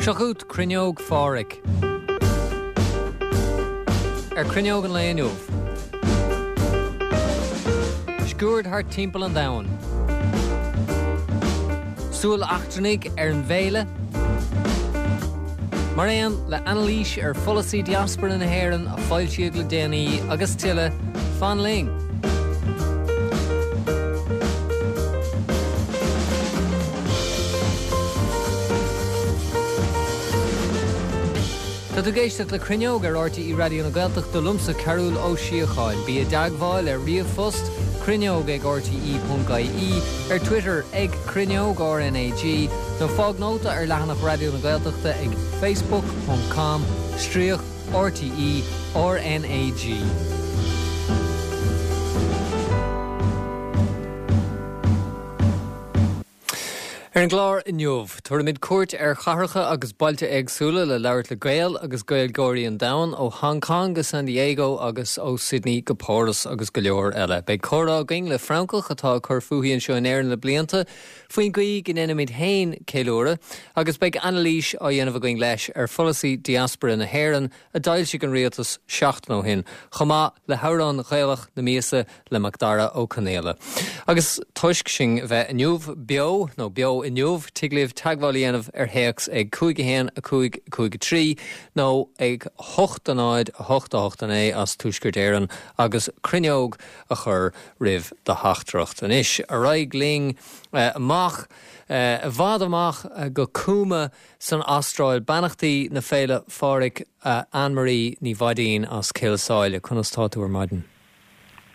Seo chugat Cruinneog Phádraig. Ar Cruinneog an lae inniu. Sciuird thart timpeall an domhain. Súil eachtrannaigh ar an bhféile. Mar aon le anailís ar pholasaí diaspora na hÉireann a foilsíodh le déanaí agus tuilleadh, fan linn! Tá tú ag éisteacht le Cruinneog ar RTÉ Raidió na Gaeltachta liomsa Cearbhall Ó Síocháin. Bí i dteagmháil ar ríomhphost, cruinneog ag rte.ie, ar Twitter ag Cruinneog RnaG, nó fág nóta ar leathanach Raidió na Gaeltachta ag facebook ponc com stríoc RTÉ RnaG. Ar an gclár inniu, tabharfaimid cuairt ar chathracha agus bailte éagsúla le labhairt le Gaeil agus Gaeilgeoirí an domhain, ó Hong Kong go San Diego agus ó Sydney go Páras agus go leor eile. Beidh comhrá againn le Francach atá ag cur fúithi anseo in Éirinn le blianta faoin gcaoi go ndéanaimid féin ceiliúradh agus beidh anailís á dhéanamh againn leis ar pholasaí diaspora na hÉireann a d'fhoilsigh an rialtas seachtain ó shin, chomh maith le hamhrán Gaelach na míosa le Macdara Ó Conaola. Agus toisc sinn a bheith inniu beo, nó beo inniu, tig libh teagmháil a dhéanamh ar théacs ag 5 1 5 5 3 nó ag 8 0 8 8 9 as Tuaisceart Éireann agus cruinneog a chur roimh do theachtaireacht. Anois, ar aghaidh linn amach, i bhfad amach go Cooma San Astráil, beannachtaí na Féile Phádraig Anne Marie Ní Mhaidín as Cill Sáile, conas tá tú ar maidin?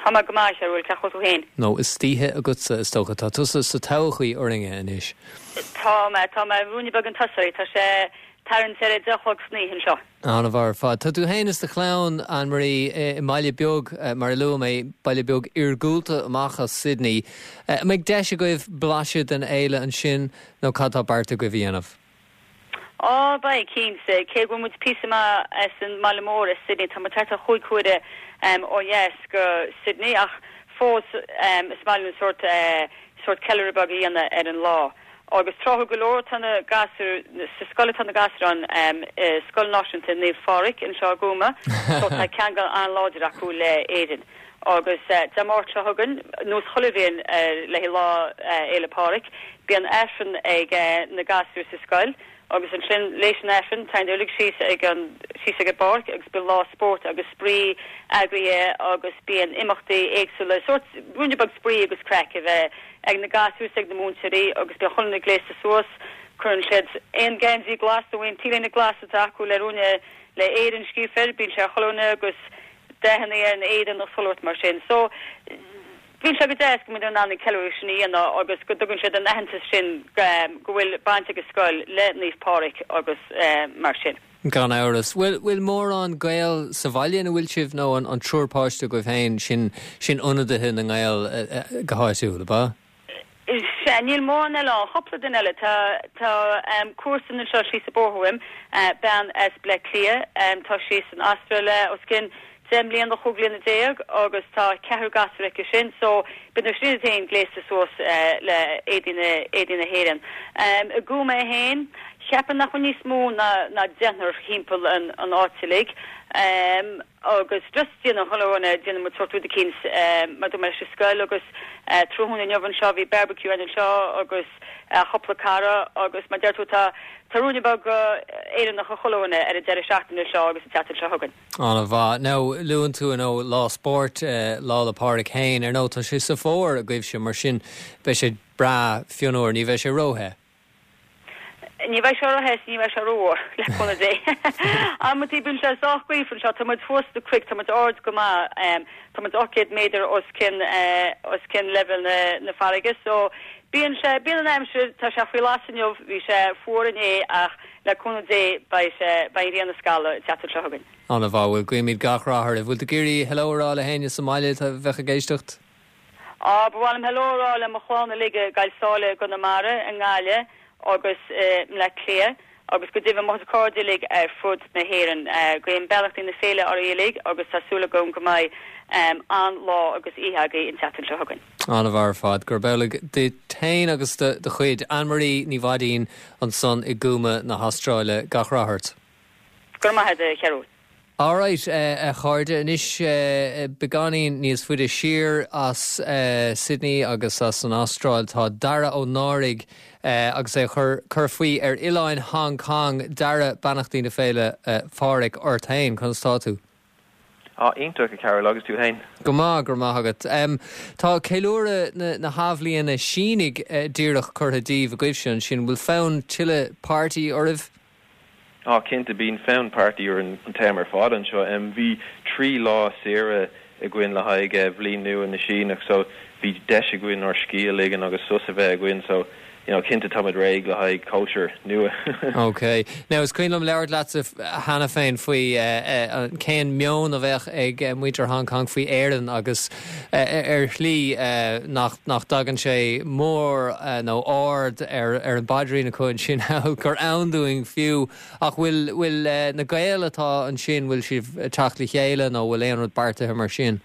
Tá mé go maith, a Chearbhaill, cén chaoi a bhfuil tú féin? Nó istoíche agatsa, is dócha. Tá tusa sa todhchaí orainne anois. Tá mé, tá mé ruainne beag chun tosaigh. Tá sé tarraingt ar a deich a chlog san oíche anseo. An-mhaith ar fad. Tá tú féin is do chlann, Anne Marie, i mbaile beag, mar a luaigh mé, baile beag iargúlta amach as Sydney. An mbeidh deis agaibh blaiseadh den fhéile ansin nó cad tá beartaithe agaibh a dhéanamh? Á, beidh, cinnte. Cé go bhfuil muid píosa maith as an mbaile mór, as Sydney, tá muid thart ar chúig huaire ó dheas go Sydney ach fós is maith linn sórt, sórt ceiliúradh beag a dhéanamh ar an lá. Agus tráthúil go leor tá na gasúir, sa scoil atá na gasúir ann, i Scoil Náisiúnta Naomh Phádraig anseo i gCooma, so tá ceangal an-láidir acu le Éirinn. Agus Dé Máirt seo chugainn, nós chuile bhliain le haghaidh Lá Fhéile Pádraig, bíonn Aifreann ag na gasúir sa scoil agus ansin léis an Aifrinn téann uilig síos ag an, síos ag an bpáirc agus bíonn lá spóirt agus spraoi eagraithe agus bíonn imeachtaí éagsúla, sórt ruainne beag spraoi agus craic a bheith ag na gasúir is ag na múinteoirí agus bíonn chuile dhuine gléasta suas, cuireann siad aon geansaí glas nó aon t-léine glas atá acu le ruainne le Éirinn scríofa air, bíonn sé ar chuile dhuine agus dathanna ar an éadan agus chuile shórt mar sin. So, bíonn sé go deas go mbíonn in ann an ceiliúradh sin a dhéanamh agus go dtugann siad an aitheantas sin go bhfuil baint ag an scoil le Naomh Pádraig agus mar sin. Gan amhras. Bhfuil, bhfuil mórán Gael sa bhaile ina bhfuil sibh nó an, an triúr páiste agaibh féin, sin, sin ionadaithe na nGael go háitiúil, ab ea? Sea, níl mórán eile ann. Cúpla duine eile. Tá, tá comharsan anseo síos an bóthar uaim, bean as Bleá Cliath. Tá sí san Astráil le os cionn deich mbliana, chúig bhliana déag agus tá ceathrar gasúr aici sin so bíonn siad féin gléasta suas le éadaí na, éadaí na hÉireann. I gCooma é féin, cheapfainn nach bhfuil níos mó ná, ná deichniúr thimpeall an, an áit uilig. Agus just déanann chuile dhuine, déanann muid sórt rud eicínt mar dúirt mé leis an scoil agus tráthnóna inniu anseo bhí barbecue ann anseo agus chúpla cara agus mar deir tú tá tá ruainne beag Éireannach ag chuile dhuine ar an deireadh seachtaine seo agus an tseachtain seo chugainn. An-mhaith. Now luann tú ar ndóigh lá spóirt, Lá 'le Pádraig féin, ar ndóigh tá sé sa bhfómhar agaibhse mar sin beidh sé breá fionnuar, ní bheidh sé róthe. Ní bheidh sé róthe is ní bheidh sé rófhuar, le cúnamh Dé. Amantaí bíonn sé sách gaofar anseo, tá muid thuas sna cnoic, tá muid ard go maith, tá muid 800 méadar os cionn, os cionn leibhéal na, na farraige so bíonn sé, bíonn an aimsir, tá sé faoi las inniu, bhí sé fuar inné ach le cúnamh Dé beidh sé, beidh an ghrian ag scalladh an tseachtain seo chugainn. An-mhaith, bhuel guímid gach rath oraibh. Bhfuil tú ag iarraidh hello a rá le héinne sa mbaile a bheadh ag éisteacht? Á, ba mhaith liom hello a rá le mo chlann uilig i gCoill Sáile i gConamara, i nGaillimh agus i mBleá Cliath agus go deimhin mo chuid cairde uilig ar fud na hÉireann. Guím beannachtaí na féile oraibh uilig agus tá súil agam go mbeidh. An-lá agus oíche agaibh an tseachtain seo chugainn. An-mhaith ar fad. Gurb amhlaidh duit féin agus do do chuid. Anne-Marie Ní Mhaidín ansan i gCooma na hAstráile. Gach rath ort. Go raibh maith agat, a Chearúil. Alright, a chairde, anois beagáinín níos faide siar as Sydney agus as an Astráil tá Dara Ó Náraigh agus é ag cur faoi ar oileáin Hong Kong. Dara, beannachtaí na Féile Phádraig ort féin, conas tá tú? Á, iontach, a Chearúil, agus tú fhéin? Go maith, go raibh maith agat. Tá ceiliúradh na hAthbhliana Sínigh díreach curtha díbh agaibhse ansin, bhfuil fonn tuilleadh party oraibh? Á, cinnte, bíonn fonn party orainn an t-am ar fad anseo. Bhí 3 lá saoire againn le haghaidh Bhliain Nua na Síneach so bhí deis againn ár scíth a ligean agus sos a bheith againn so you know cinnte táimid réidh le haghaidh cóisir nua. Ok. Now is cuimhin liom labhairt leatsa cheana féin faoi cén meon a bheadh ag muintir Hong Kong faoi Éirinn agus ar shlí nach dtagann sé mór nó ard ar an bpaidrín acu ansin thall, gur ann dúinn fiú. Ach bhfuil, bhfuil na Gaeil atá ansin, bhfuil sibh ag teacht le chéile nó bhfuil aon rud beartaithe mar sin?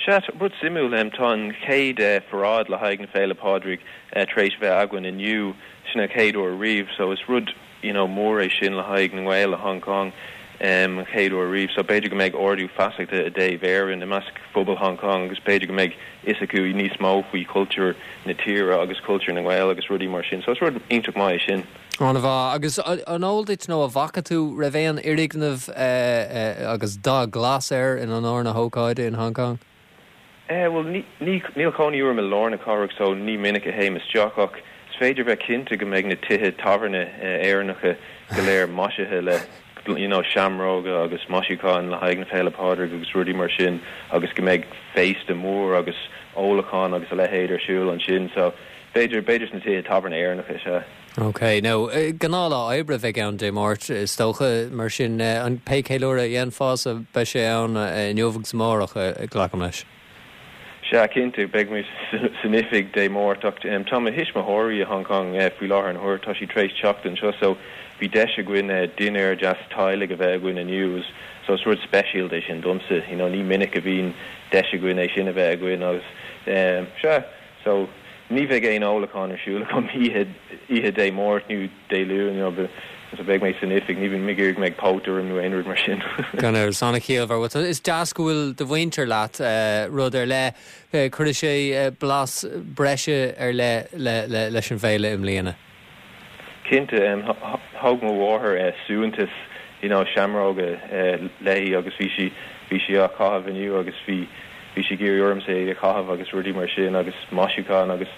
Sea, rud suimiúil, tá an chéad pharáid le haghaidh na Féile Pádraig tar éis bheith againn inniu, sin an chéad uair riamh, so is rud you know mór é sin le haghaidh na nGael i Hong Kong, an chéad uair riamh, so b'fhéidir go mbeidh ardú feasachta i dtaobh Éireann i measc phobal Hong Kong agus b'fhéidir go mbeidh fhios acu níos mó faoi chultúr na tíre agus cultúr na nGael agus rudaí mar sin, so is rud iontach maith é sin. An-mhaith. Agus an eol duit nó an bhfaca tú raibh aon fhoirgneamh agus dath glas air in onóir na hócáide in Hong Kong? Eh, bhuel, ní, ní, níl cónaí orm i lár na cathrach so ní minic a théim isteach ach is féidir bheith cinnte go mbeidh na tithe tábhairne Éireannacha go léir maisithe le you know seamróga agus maisiúcháin le haghaidh na Féile Pádraig agus rudaí mar sin agus go mbeidh féasta mór agus ólachán agus a leithéid ar siúl ansin so b'fhéidir, b'fhéidir sna tithe tábhairne Éireannacha, sea. Ok, now, gnáthlá oibre a bheidh ann Dé Máirt, is dócha, mar sin, an pé ceiliúradh a dhéanfása, beidh sé ann inniu agus amárach, glacaim leis. Sea, cinnte, beidh mé san oifig Dé Máirt, ach tá mo thuismitheoirí i Hong Kong faoi láthair na huaire, tá siad tar éis teacht anseo, so bhí deis againn dinnéar deas teaghlaigh a bheith againn inniu, so is rud speisialta é sin domsa, you know, ní minic a bhíonn deis againn é sin a bheith againn agus, sea. So, ní bheidh aon ólachán ar siúl agam oíche, oíche Dé Máirt nó Dé Luain, you know, so beidh mé san oifig, ní bheidh mé ag iarraidh go mbeidh póit orm nó aon rud mar sin. Gan amhras, an-chiallmhar. Bhuel, is deas go bhfuil do mhuintir leat, rud ar leith. Cuirfidh sé blas breise ar leith leis an bhféile i mbliana. Cinnte, thóg mo mháthair suaitheantas, you know, seamróga léi agus bhí sí, bhí sí á chaitheamh inniu agus bhí, bhí sí ag iarraidh ormsa é a chaitheamh agus rudaí mar sin agus maisiúchán agus,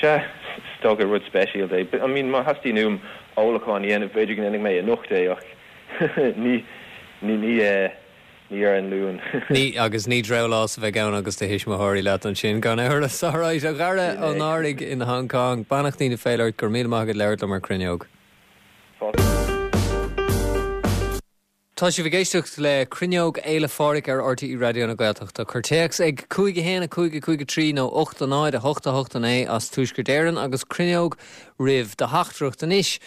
sea, is dócha rud speisialta é. I mean, má theastaíonn uaim ólachán a dhéanamh, b'fhéidir go ndéanfaidh mé anocht é ach ní, ní, ní, Ní ar an Luan. Ní, agus ní drabhlás a bheidh ann agus do thuismitheoirí leat ansin, gan amhras. Alright, a Dhara Ó Náraigh in Hong Kong, beannachtaí na féile ort, go raibh míle maith agat labhairt liom ar Cruinneog. Fáilte. Tá sibh ag éisteacht le Cruinneog Fhéile Phádraig ar RTÉ Raidió na Gaeltachta. Cuir téacs ag 5 1 5 5 3 nó 8 0 8 8 9 as Tuaisceart Éireann agus Cruinneog roimh do theachtaireacht. Anois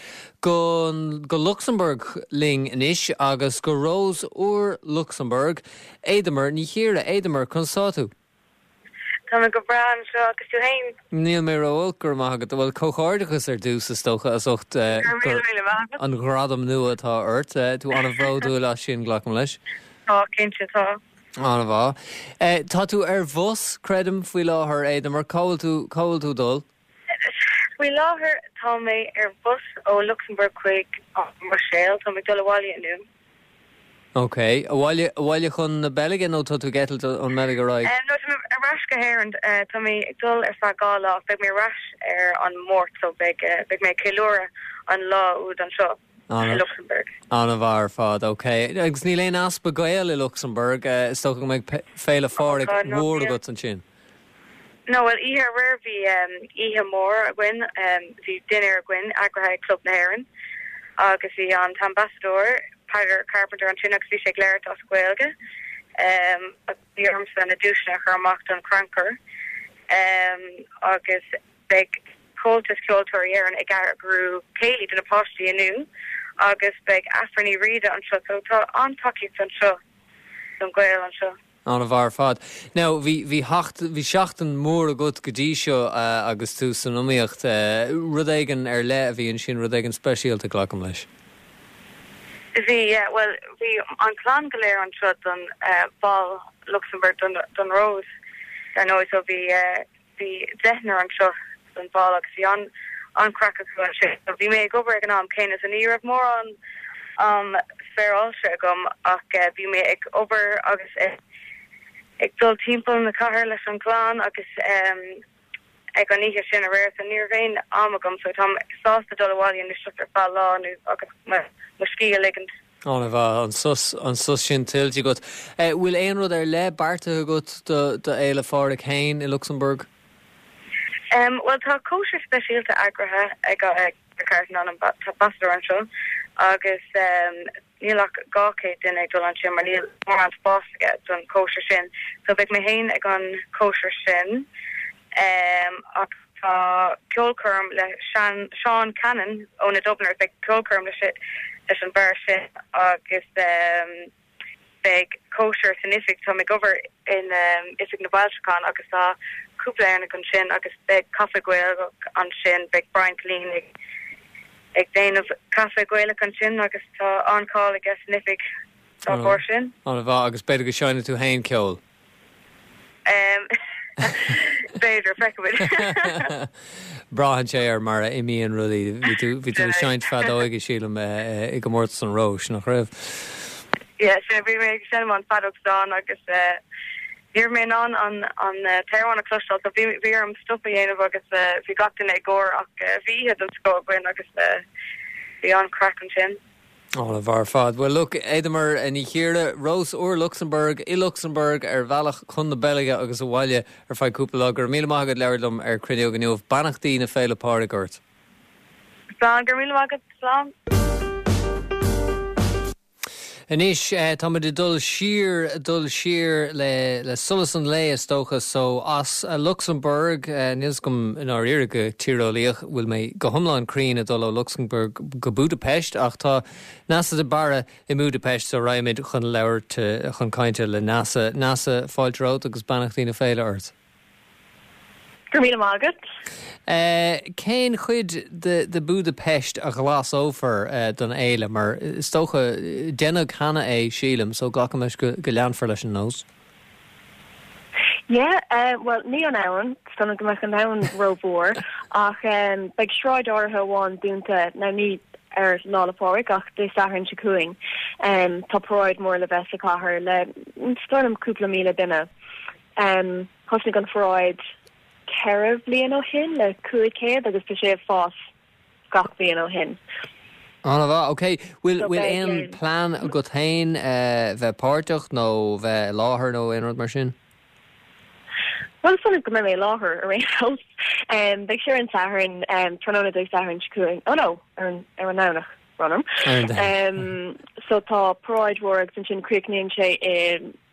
go go Lucsamburg linn anois agus go Ros Úr Lucsamburg. Éadamar Ní Chiara. Éadamar, conas tá tú? Tá mé go breá anseo, agus tú fhéin? Níl mé ró-olc, go raibh maith agat. Bhuel, comhghairdeachas ar dtús, is dócha, as ucht Go raibh míle maith agat. an ghradam nua atá ort. Tú an-bhródúil as sin, glacaim leis. Tá, cinnte, tá. An-mhaith. Tá tú ar bhus, creidim, faoi láthair, Éadamar. Cá bhfuil tú, cá bhfuil tú ag dul? Faoi láthair tá mé ar bhus ó Lucsamburg chuig an mBruiséil. Tá mé ag dul abhaile inniu. Ok. Abhaile, abhaile chun na Beilge nó tá tú ag eitilt ón mBeilg ar aghaidh? No, tá mé ar ais go hÉirinn. Tá mé ag dul ar feadh 2 lá ach beidh mé ar ais ar an Máirt so beidh, beidh mé ag ceiliúradh an lá úd anseo i Lucsamburg. An-mhaith ar fad. Ok. Agus níl aon easpa Gael i Lucsamburg. Is dócha go mbeidh Féile Phádraig mhór agat ansin. No, bhuel, oíche aréir bhí oíche mhór againn, bhí dinnéar againn eagraithe ag Club na hÉireann agus bhí an t-ambasadóir Peadar Carpenter ansin agus bhí sé ag labhairt as Gaeilge agus bhí ormsa na duaiseanna a chur amach don chrannchur agus beidh Comhaltas Ceoltóirí Éireann ag eagrú céilí do na páistí inniu agus beidh Aifric Ní Riada anseo so tá an-tacaíocht anseo don Ghaeilge anseo. An-mhaith ar fad. Now, bhí, bhí sheacht, bhí seachtain mhór agat go dtí seo agus tú san iomaíocht. Rud éigin ar leith a bhí ansin, rud éigin speisialta, glacaim leis. Bhí, yeah, bhuel, bhí an chlann go léir anseo don bhal Lucsamburg, don, don Rós, dar ndóigh, so bhí, bhí deichniúr anseo don bhal agus bhí an, an-chraic acu ansin. So bhí mé ag obair ag an am céanna so ní raibh mórán am spéaráilte agam ach bhí mé ag obair agus ag, ag dul timpeall na cathair leis an gclann agus ag an oíche sin aréir so ní raibh aon am agam so táim sásta dul abhaile anois just ar feadh lá nó agus mo, mo scíth a ligint. An-mhaith, an sos, an sos sin tuillte agat. Bhfuil aon rud ar leith beartaithe agat do Fhéile Phádraig féin i Lucsamburg? Bhuel, tá cóisir speisialta eagraithe ag Carton, an t-ambasadóir anseo, agus níl ach 200 duine ag dul ansin mar níl mórán spáis aige don chóisir sin. So beidh mé féin ag an chóisir sin. Ach tá ceolchoirm le Seán Cannon ó na Dubliners, beidh ceolchoirm leis an bhfear sin agus beidh cóisir san oifig, táim ag obair in Oifig na bhFoilseachán agus tá cúpla Éireannach ansin agus beidh caife Gaelach ansin, beidh Brian Killeen ag ag déanamh caife Gaelach ansin agus tá an-cháil aige san oifig dá bharr sin. An-mhaith, agus b'fhéidir go seinnfidh tú féin ceol? B'fhéidir, feicfimid. Braitheann sé ar mar a imíonn rudaí. Bhí tú, bhí tú ag seinnt feadóige, sílim, i gcomórtas an Róis, nach raibh? Yeah, sin, bhí mé ag seinm an feadóg stáin agus ní raibh mé in ann an an t-amhrán a chloisteáil so bhí bhí orm stop a dhéanamh agus bhí gach duine ag gáire ach bhí oíche den scoth againn agus bhí an-chraic ansin. An-mhaith ar fad. Bhuel, look, Éadamair Ní Chiardha, Rós Úr Lucsamburg, i Lucsamburg, ar bhealach chun na Beilge agus abhaile ar feadh cúpla lá. Go raibh míle maith agat labhairt liom ar Cruinneog inniu. Beannachtaí na Féile Pádraig ort. Slán, go raibh míle maith agat. Slán. Anois, táimid ag dul siar, dul siar le, le solas an lae, is dócha, so as Lucsamburg, níl 'fhios agam i ndáiríre go tíreolaíoch, bhfuil mé go hiomlán cruinn ag dul ó Lucsamburg go Budapest, ach tá Neasa de Barra i mBudapest, so raghaimid chun labhairt, chun cainte le Neasa. Neasa, fáilte romhat agus beannachtaí na féile ort. Go raibh míle maith agat. Cén chuid de Budapest a ghlasófar don fhéile? Mar is dócha, deineadh cheana é, sílim, so glacaim leis go leanfar leis an nós. Yeah, bhuel, ní an abhainn, is dóigh liom go mbeadh an abhainn rómhór, ach beidh sráid áirithe amháin dúnta, now ní ar Lá 'le Pádraig ach Dé Sathairn seo chugainn. Tá paráid mór le bheith sa chathair le, is dóigh liom, cúpla 1,000 duine. Thosnaigh an pharáid 4 bhliain ó shin le 500 agus tá sé ag fás gach bliain ó shin. An-mhaith, ok. Bhfuil bhfuil aon plean agat féin bheith páirteach nó bheith i láthair nó aon rud mar sin? Bhuel, is dóigh liom go mbeidh mé i láthair ar aon nós. Beidh sé ar an Satharn, tráthnóna Dé Sathairn seo chugainn, oh no, ar an ar an nDomhnach, brón orm. So tá paráid mhór agus ansin críochnaíonn sé i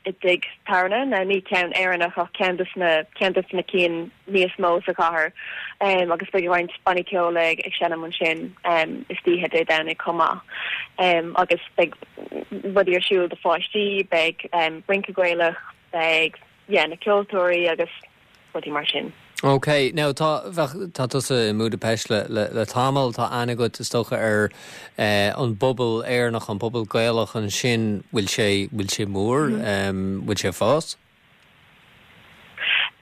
i dtigh tábhairne, now ní ceann Éireannach ach ceann de na, ceann de na cinn níos mó sa chathair agus beidh roinnt bannaí ceoil ag ag seinm ansin istoíche Dé Domhnaigh chomh maith. Agus beidh rudaí ar siúl do pháistí, beidh rince Gaelach, beidh yeah na ceoltóirí agus rudaí mar sin. Ok, now tá, bheadh, tá tusa i mBudapest le, le, le tamall, tá aithne agat is dócha ar eh, an bpobal Éireannach, an pobal Gaelach ansin, bhfuil sé, bhfuil sé mór, em, bhfuil sé ag fás?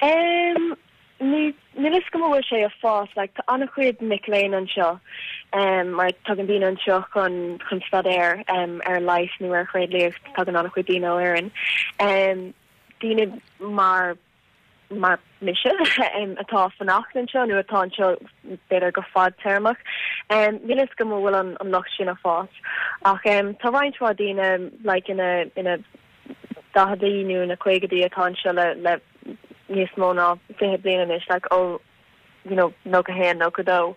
Em, ní, níl fhios agam an bhfuil sé ag fás, like tá an-chuid mic léinn anseo, em, mar tagann daoine anseo chun, chun staidéar, em, ar leigheas nó ar thréidliacht, tagann an-chuid daoine ó Éirinn. Em, daoine mar mar mise atá ag fanacht anseo nó atá anseo b'fhéidir go fadtéarmach. Níl fhios agam an bhfuil an lucht sin ag fás. Ach tá roinnt mhaith daoine like ina ina daicheadaí nó ina caogaidí atá anseo le le níos mó ná 20 bliain anois like ó you know, 91, 92.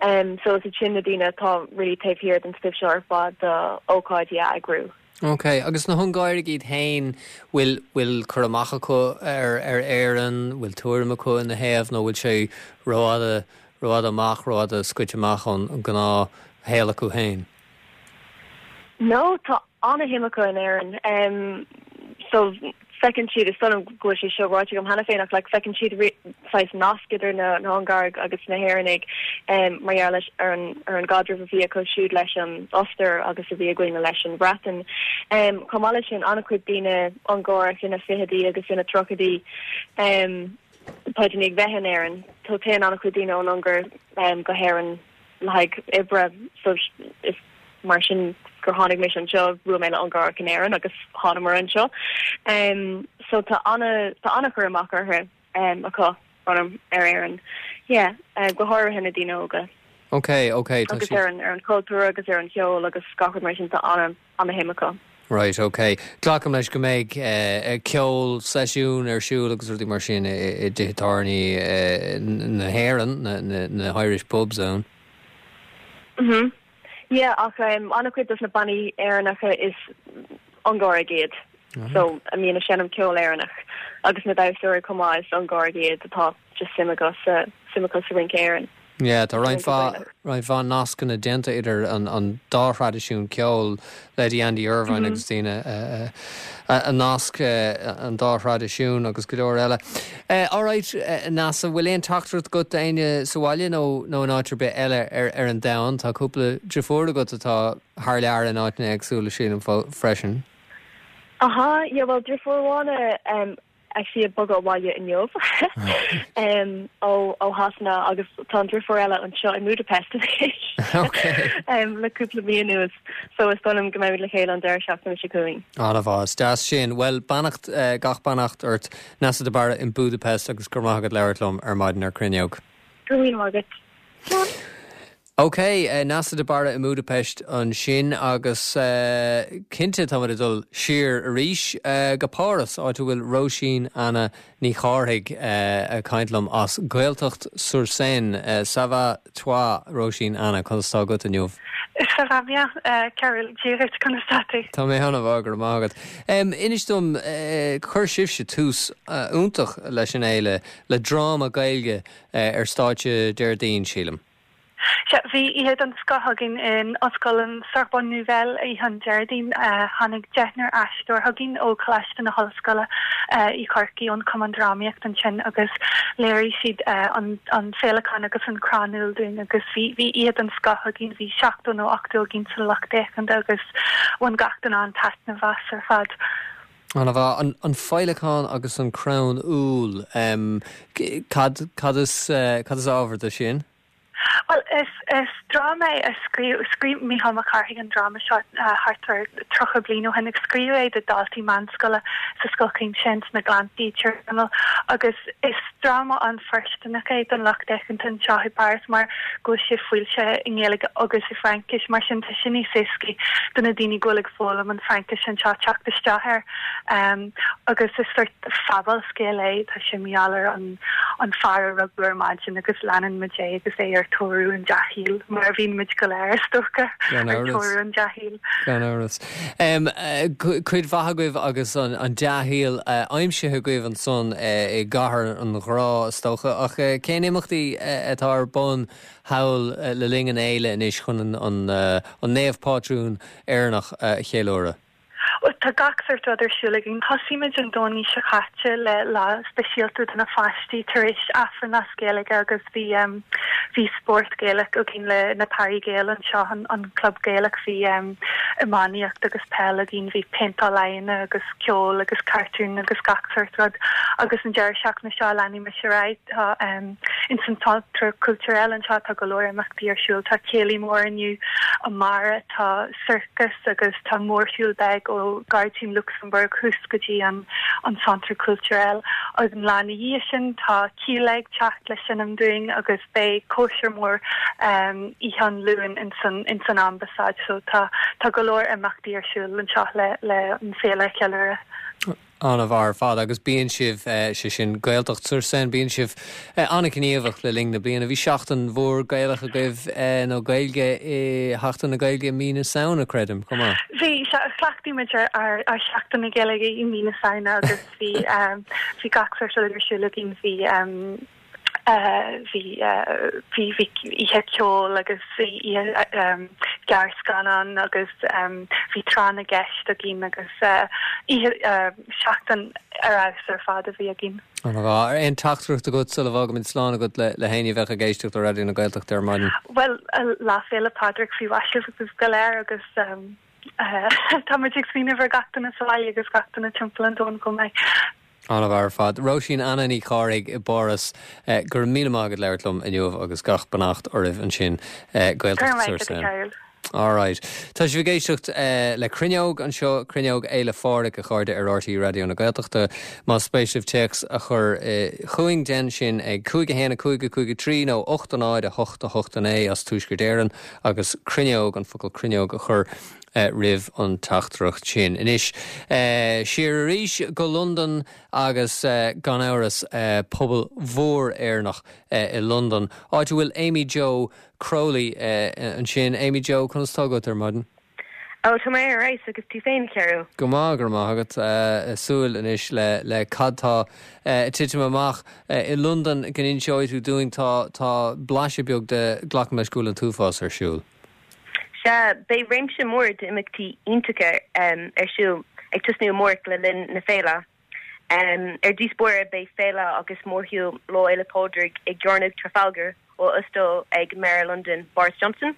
Um, so is iad sin na daoine atá really taobh thiar den stuif seo ar fad do ócáidí a eagrú. Ok, agus na hUngáirigh iad féin, bhfuil, bhfuil cur amach acu ar, ar Éirinn, bhfuil tuairim acu ina thaobh nó bhfuil sé rófhada, rófhada amach, rófhada scoite amach ón ngnáth shaol acu féin? No, tá ana-shuim acu in Éirinn. Um, so. Feiceann siad, is dóigh liom go bhfuil sé seo ráite agam cheana féin, ach like feiceann siad saghas nasc idir na hUngáraigh agus na hÉireannaigh mar gheall leis ar an ar an gcaidreamh a bhí acu siúd leis an Ostair agus a bhí againne leis an Bhreatain. Chomh maith leis sin, an-chuid daoine Ungárach ina fichidí agus ina tríochaidí tá i ndiaidh bheith in Éirinn. So téann an-chuid daoine ón Ungáir go hÉirinn le haghaidh oibre so is mar sin gur tháinig mise anseo, bhuail mé le Ungárach in Éirinn agus thánamar anseo. So tá ana tá ana-chur amach orthu acu orm ar Éirinn. Yeah, go háirithe na daoine óga. Ok, ok, tá Agus ar an ar an chultúr agus ar an cheol agus gach rud mar sin tá ana ana shuim acu. Right, ok. Glacaim leis go mbeidh ceol, seisiún ar siúl agus rudaí mar sin i dtithe tábhairne na hÉireann, na Irish pubs ann. Mhm. Yeah, ach an-chuid dos na bannaí Éireannacha is Ungáraigh iad. So, a mbíonn ag seinm ceol Éireannach agus na damhsóirí chomh maith is Ungáraigh iad atá just suim acu sa suim acu sa rince Éireann. Yeah, tá roinnt mhaith, roinnt mhaith nascanna déanta idir an dá thraidisiún ceoil, leithéidí Andy Irvine agus daoine a nasc an dá thraidisiún agus go leor eile. Alright, Neasa, bhfuil aon teachtaireacht agat d'éinne sa bhaile nó nó in áit ar bith eile ar ar an domhan? Tá cúpla deirfiúr agat atá thar lear in áiteanna éagsúla sílim freisin. Aha, yeah, bhuel deirfiúr amháin actually ag bogadh abhaile inniu ó ó Shasana agus tá an deirfiúr eile anseo i mBudapest anois le cúpla mí anuas so is dóigh liom go mbeimid le chéile an deireadh seachtaine seo chugainn. An-mhaith, is deas sin. Bhuel, beannacht, gach beannacht ort Neasa de Barra in Budapest agus go raibh maith agat labhairt liom ar maidin ar Cruinneog. Go raibh míle maith agat. Ok, Neasa de Barra i mBúdaipeist ansin agus cinnte táimid ag dul siar arís go Páras, áit a bhfuil Róisín Anna Ní Chárthaigh ag caint liom as Gaeltacht sur Seine. Ça va toi, Róisín Anna, conas tá agat inniu? Ça va bien, Cearbhall, Dia dhuit, conas tá tú? Tá mé an-mhaith, go raibh maith agat. Inis dom, chuir sibhse tús iontach leis an fhéile le dráma Gaeilge ar stáitse Déardaoin, sílim. Sea, bhí oíche den scoth againn in Ollscoil an Sorbonne Nouvelle oíche an Déardaoin. Tháinig deichniúr aisteoir chugainn ó Choláiste na hOllscoile i Corcaigh, ón Chumann Drámaíocht ansin agus léirigh siad an Féileacán agus an Crann Úll dúinn agus bhí bhí oíche den scoth againn. Bhí 70 nó 80 againn sa lucht féachana agus bhain gach duine an-taitneamh as ar fad. An-mhaith. An Féileacán agus an Crann Úll, cad cad is cad is ábhar do sin? Bhuel, is is dráma é a scríobh scríobh Mícheál Mac Cárthaigh an dráma seo thart ar 30 bliain ó shin agus scríobhadh é do dhaltaí meánscoile sa Scoil Chuimsitheach ins na Gleanntaí i dTír Chonaill agus is dráma an-fhoirsteanach é don lucht féachanta anseo i bPáras mar go bhfuil sé foilsithe i nGaeilge agus i bhFraincis, mar sin tá sé níos éascaí do na daoine go bhfuil ag foghlaim an Fraincis anseo teacht isteach air. Agus is sort fabhalscéal é, tá sé mar gheall ar an an fear a rugadh ar maidin agus leanann muid é agus é ar tóir an dea-shaoil, mar a bhíonn muid go léir is dócha, ar tóir an dea-shaoil. Gan amhras. Cuid mhaith agaibh agus an dea-shaol aimsithe agaibh ansan i gcathair an ghrá, is dócha, ach cén imeachtaí atá ar bun thall le linn an fhéile anois chun an naomh pátrún Éireannach a cheiliúradh? Bhuel, tá gach sórt rud ar siúl againn. Thosaigh muid an Domhnach seo caite le lá speisialta do na pháistí tar éis Aifreann as Gaeilge agus bhí bhí spórt Gaelach againn le na Paris Gael anseo, an club Gaelach, bhí iománaíocht agus peil againn, bhí péinteáil aghaidheanna agus ceol agus cartúin agus gach sórt rud. Agus an deireadh seachtaine seo leanfaidh muid ar aghaidh. Tá ins an Centre Culturel anseo tá go leor imeachtaí ar siúl. Tá céilí mór inniu, amárach tá sorcas agus tá mórshiúl beag ó Gairdín Luxembourg thuas go dtí an an Centre Culturel. Agus an lá ina dhiaidh sin tá Kíla ag teacht le seinm dúinn agus beidh cóisir mór oíche an Luain ins an ins an Ambasáid. So tá tá go leor imeachtaí ar siúl anseo le le an féile a cheiliúradh. An-mhaith ar fad agus bíonn sibh, sé sin Gaeltacht sur Seine, bíonn sibh an-ghníomhach le linn na bliana. Bhí seachtain mhór Gaelach agaibh nó Gaeilge i Sheachtain na Gaeilge i mí na Samhna, creidim, chomh maith. Bhí, sea, chleachtaigh muid ar ár Seachtain na Gaeilge i mí na Samhna agus bhí, bhí gach sórt rud ar siúl againn, bhí. Bhí bhí bhí oíche ceoil agus oíche gearrscannán agus bhí tráth na gceist againn agus oíche seachtain. ar fheabhas ar fad a bhí againn. An-mhaith. Aon teachtaireacht agat sula bhfágaimid slán agat le héinne a bheadh ag éisteacht le Raidió na Gaeltachta ar maidin? Bhuel, Lá Féile Pádraig faoi mhaise agaibh go léir agus tá muid ag smaoineamh ar gach duine sa bhaile agus gach duine timpeall an domhain chomh maith. An-mhaith ar fad. Róisín Anna Ní Chárthaigh i bPáras, go raibh míle maith agat labhairt liom inniu agus gach beannacht oraibh ansin. Gaeltacht sur Seine. Alright. Tá sibh ag éisteacht le Cruinneog anseo, Cruinneog Fhéile Phádraig, a chairde, ar RTÉ Raidió na Gaeltachta. Más spéis libh téacs a chur chugainn, déan sin ag 5 1 5 5 3 nó 8 0 8 8 9 as Tuaisceart Éireann agus Cruinneog, an focal Cruinneog a chur roimh an teachtaireacht sin. Anois, siar arís go Londain agus gan amhras pobal mhór Éireannach i Londain, áit a bhfuil Amy Jo Crowley ansin. Amy Jo, conas tá agat ar maidin? Ó, tá mé ar fheabhas, agus tú féin, a Chearbhaill? Go maith, go raibh maith agat. Súil anois le cad tá ag titim amach i Londain go n-inseoidh tú dúinn. Tá, tá blaiseadh beag de, glacaim leis go bhfuil an t-uafás ar siúl. Sea, beidh réimse mór d'imeachtaí iontacha ar siúl ag tosnú amárach le linn na féile. Ar dtús báire beidh féile agus mórshiúl Lá Fhéile Pádraig i gCearnóg Trafalgar á óstáil ag Méara Londan, Boris Johnson,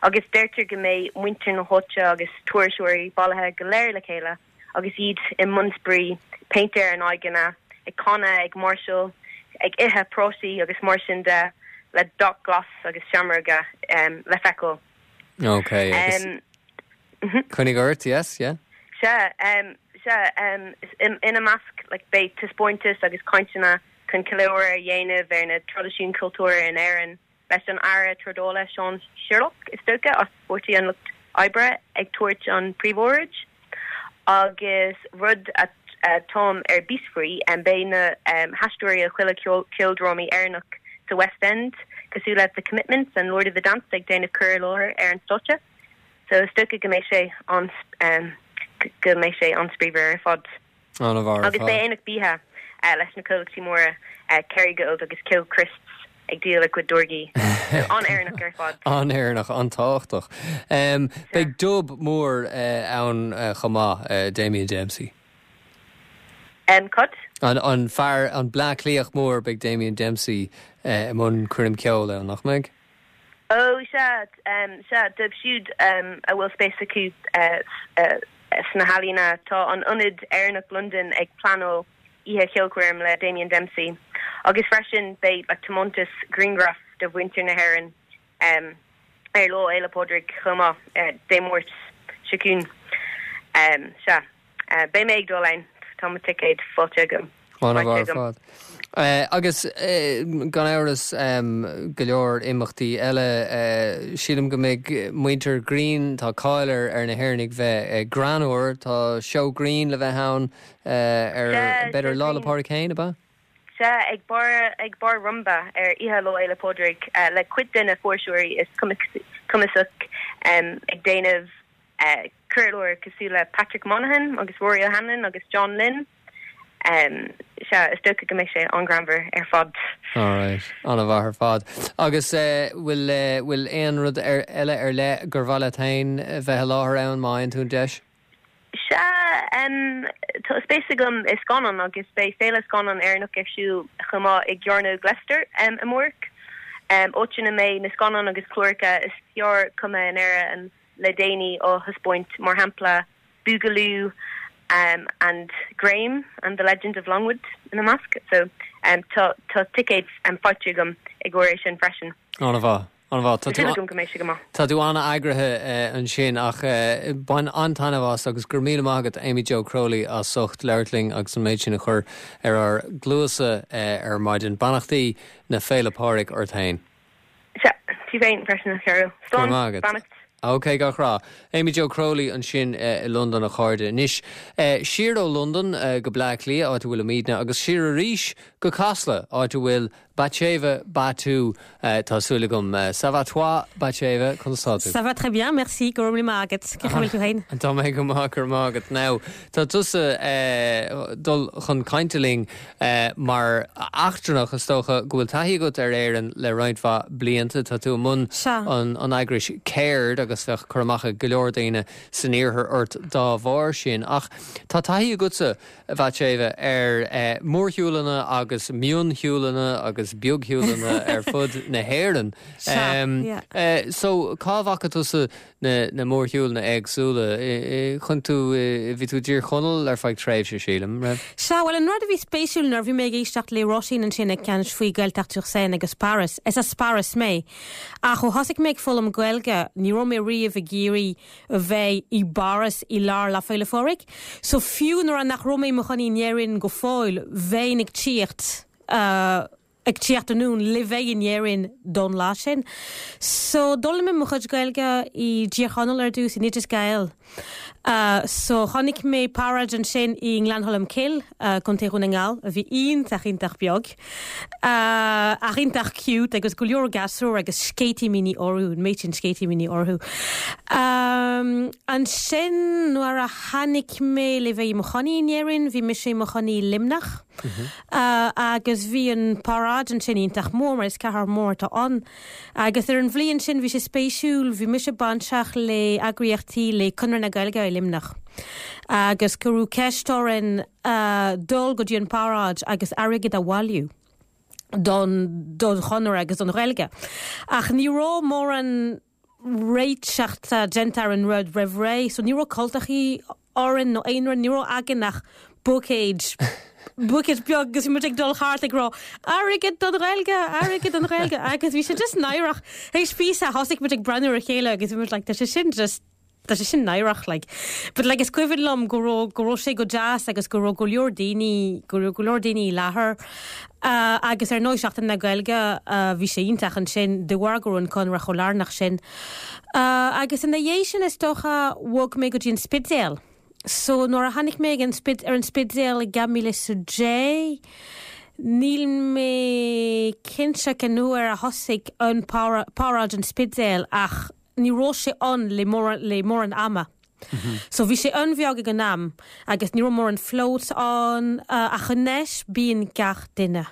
agus deirtear go mbeidh muintir na háite agus turasóirí bailithe go léir le chéile agus iad i mbun spraoi, péint ar a n-aghaidheanna, ag canadh, ag máirseáil, ag ithe prátaí agus mar sin de, le dath glas agus seamróga le feiceáil. Ok, agus coinnigh ort, yes, yeah. Sea, sea, ina measc like beidh taispeántais agus cainteanna chun ceiliúradh a dhéanamh ar na traidisiúin chultúrtha in Éirinn. Leis an Aire Trádála Sean Sherlock, is dócha, as Páirtí an Lucht Oibre ag tabhairt an príomhóráid. Agus rud atáim ar bís faoi, beidh na haisteoirí ó chuile ceoldrámaí Éireannach sa West End, cosúil le The Commitments and Lord of the Dance ag déanamh cur i láthair ar an stáitse. So is dócha go mbeidh sé an go mbeidh sé an-spraíúil ar fad. An-mhaith ar Agus beidh aonach bia leis na comhlachtaí móra Kerrygold agus Kilchrist's ag díol a gcuid táirgí. So an-Éireannach ar fad. An-Éireannach, an-tábhachtach. Beidh dub mór ann chomh maith, Damien Dempsey. Cad? An fear, an Bleá Cliathach mór, beidh Damien Dempsey i mbun coirm ceoil ann, nach mbeidh? Ó, sea, sea, dóibh siúd a bhfuil spéis acu sna healaíona, tá an Ionad Éireannach Londain ag pleanáil oíche cheolchoirm le Damien Dempsey agus freisin beidh like tiomantas grianghraf de mhuintir na hÉireann ar Lá Fhéile Pádraig chomh maith, Dé Máirt seo chugainn. Sea. Beidh mé ag dul ann, tá mo ticéad faighte agam. An-mhaith ar fad. Agus gan amhras go leor imeachtaí eile. Sílim go mbeidh muintir grinn, tá cáil ar na hÉireannaigh bheith greannmhar, tá seó grinn le bheith ann ar, b'fhéidir Lá 'le Pádraig féin, ab ea? Sea, ag bar, ag Bar Rumba ar oíche Lá Fhéile Pádraig le cuid de na fuirseoirí is cumasacha ag déanamh cur i láthair cosúil le Patrick Monahan agus Rory O'Hanlon agus John Lynn. Sea, is dócha go mbeidh sé an-ghreannmhar ar fad. Alright, an-mhaith ar fad. Agus bhfuil, bhfuil aon rud eile ar leith gur mhaith leat féin bheith i láthair ann má fhaigheann tú an deis? Sea, tá spéis agam i scannáin agus beidh Féile Scannán Éireannach ar siúl chomh maith i gCearnóg Leicester amárach, áit ina mbeidh na scannáin agus cláracha is fearr cumtha in Éirinn le déanaí á thaispeáint, mar shampla Boogaloo and Graham and the Legend of Longwood ina measc. So tá tá ticéid faighte agam i gcomhair é sin freisin. An-mhaith, an-mhaith. Tá súil agam go mbeidh sé go maith. Tá tú an-eagraithe ansin ach bain an-taitneamh as agus go raibh míle maith agat Amy Jo Crowley as ucht labhairt linn agus an méid sin a chur ar ár gcluasa ar maidin. Beannachtaí na Féile Pádraig ort féin. Sea, tú féin freisin, a Chearbhaill. Go raibh maith agat. Beannacht. Ok, gach rath. Amy Jo Crowley ansin i Londain, a chairde. Anois, siar ó Londain go Bleá Cliath, áit a bhfuilimidne, agus siar arís go Casla, áit a bhfuil Batsheva Battu, tá súil agam. Ça va toi, Batsheva? Conas tá tú? Ça va très bien, merci. Go raibh míle maith agat. Cén chaoi a bhfuil tú féin? Tá mé go maith, go raibh maith agat. Now, tá tusa dul chun cainte linn Mar eachtrannach, is dócha go bhfuil taithí agat ar Éirinn le roinnt mhaith blianta. Tá tú i mbun an eagrais Ceird. agus bheadh cur amach ag go leor daoine san iarthar ort dá bharr sin. Ach tá taithí agatsa, a Bhaitséibhe, ar mhórshiúlanna agus mionshiúlanna agus beagshiúlanna ar fud na hÉireann. Sea, yeah. So, cá bhfaca tusa na mórshiúlanna éagsúla? Chonaic tú, bhí tú i dTír Chonaill ar feadh tréimhse, sílim, raibh? Sea, bhuel, an rud a bhí spéisiúil nuair a bhí mé ag éisteacht le Róisín ansin ag caint faoi Gaeltacht sur Seine agus Páras, is as Páras mé, ach ó thosaigh mé ag foghlaim Gaeilge, ní raibh mé riamh ag iarraidh a bheith i bPáras i lár Lá Féile Phádraig. So fiú nuair a nach raibh mé i mo chónaí in Éirinn go fóill, bheinn ag tíocht, ag tíocht anonn le bheith in Éirinn don lá sin. So d'fhoghlaim mé mo chuid Gaeilge i dTír Chonaill ar dtús, in Oideas Gael. So chonaic mé paráid ansin i nGleann Cholm Cille, Contae Dhún na nGall, a bhí iontach iontach beag, ach iontach cute agus go leor gasúr agus sceitimíní orthu, an méid sin sceitimíní orthu. Ansin nuair a tháinig mé le bheith i mo chónaí in Éirinn, bhí mise i mo chónaí i Luimneach. Agus bhí an paráid ansin iontach mór, mar is cathair mhór atá ann. Agus ar an bhliain sin bhí sé spéisiúil, bhí mise bainteach le eagraíochtaí le Conradh na Gaeilge i Luimneach. Agus cuireadh ceist orainn dul go dtí an paráid agus airgead a bhailiú don don Chonradh agus don Ghaeilge. Ach ní raibh mórán réiteachta déanta ar an rud roimh ré, so ní raibh cultachaí orainn nó aon rud, ní raibh againn ach buicéid, buicéid beag agus bhí muid ag dul thart ag rá airgead don Ghaeilge, airgead don Ghaeilge agus bhí sé just náireach. Théis píosa thosaigh muid ag breathnú ar a chéile agus bhí muid like tá sé sin just tá sé sin náireach like. But like is cuimhin liom go raibh go raibh sé go deas agus go raibh go leor daoine go raibh go leor daoine i láthair Agus ar ndóigh Seachtain na Gaeilge, bhí sé iontach ansin de bharr go raibh an Conradh chomh lárnach sin. Agus ina dhiaidh sin is dócha bhog mé go dtí an Spidéal. So nuair a tháinig mé ag an ar an Spidéal i 2010, níl mé cinnte cén uair a thosaigh an paráid an Spidéil ach ní raibh sé ann le le mórán ama. So bhí sé an-bheag ag an am agus ní raibh mórán floats ann ach anois bíonn gach duine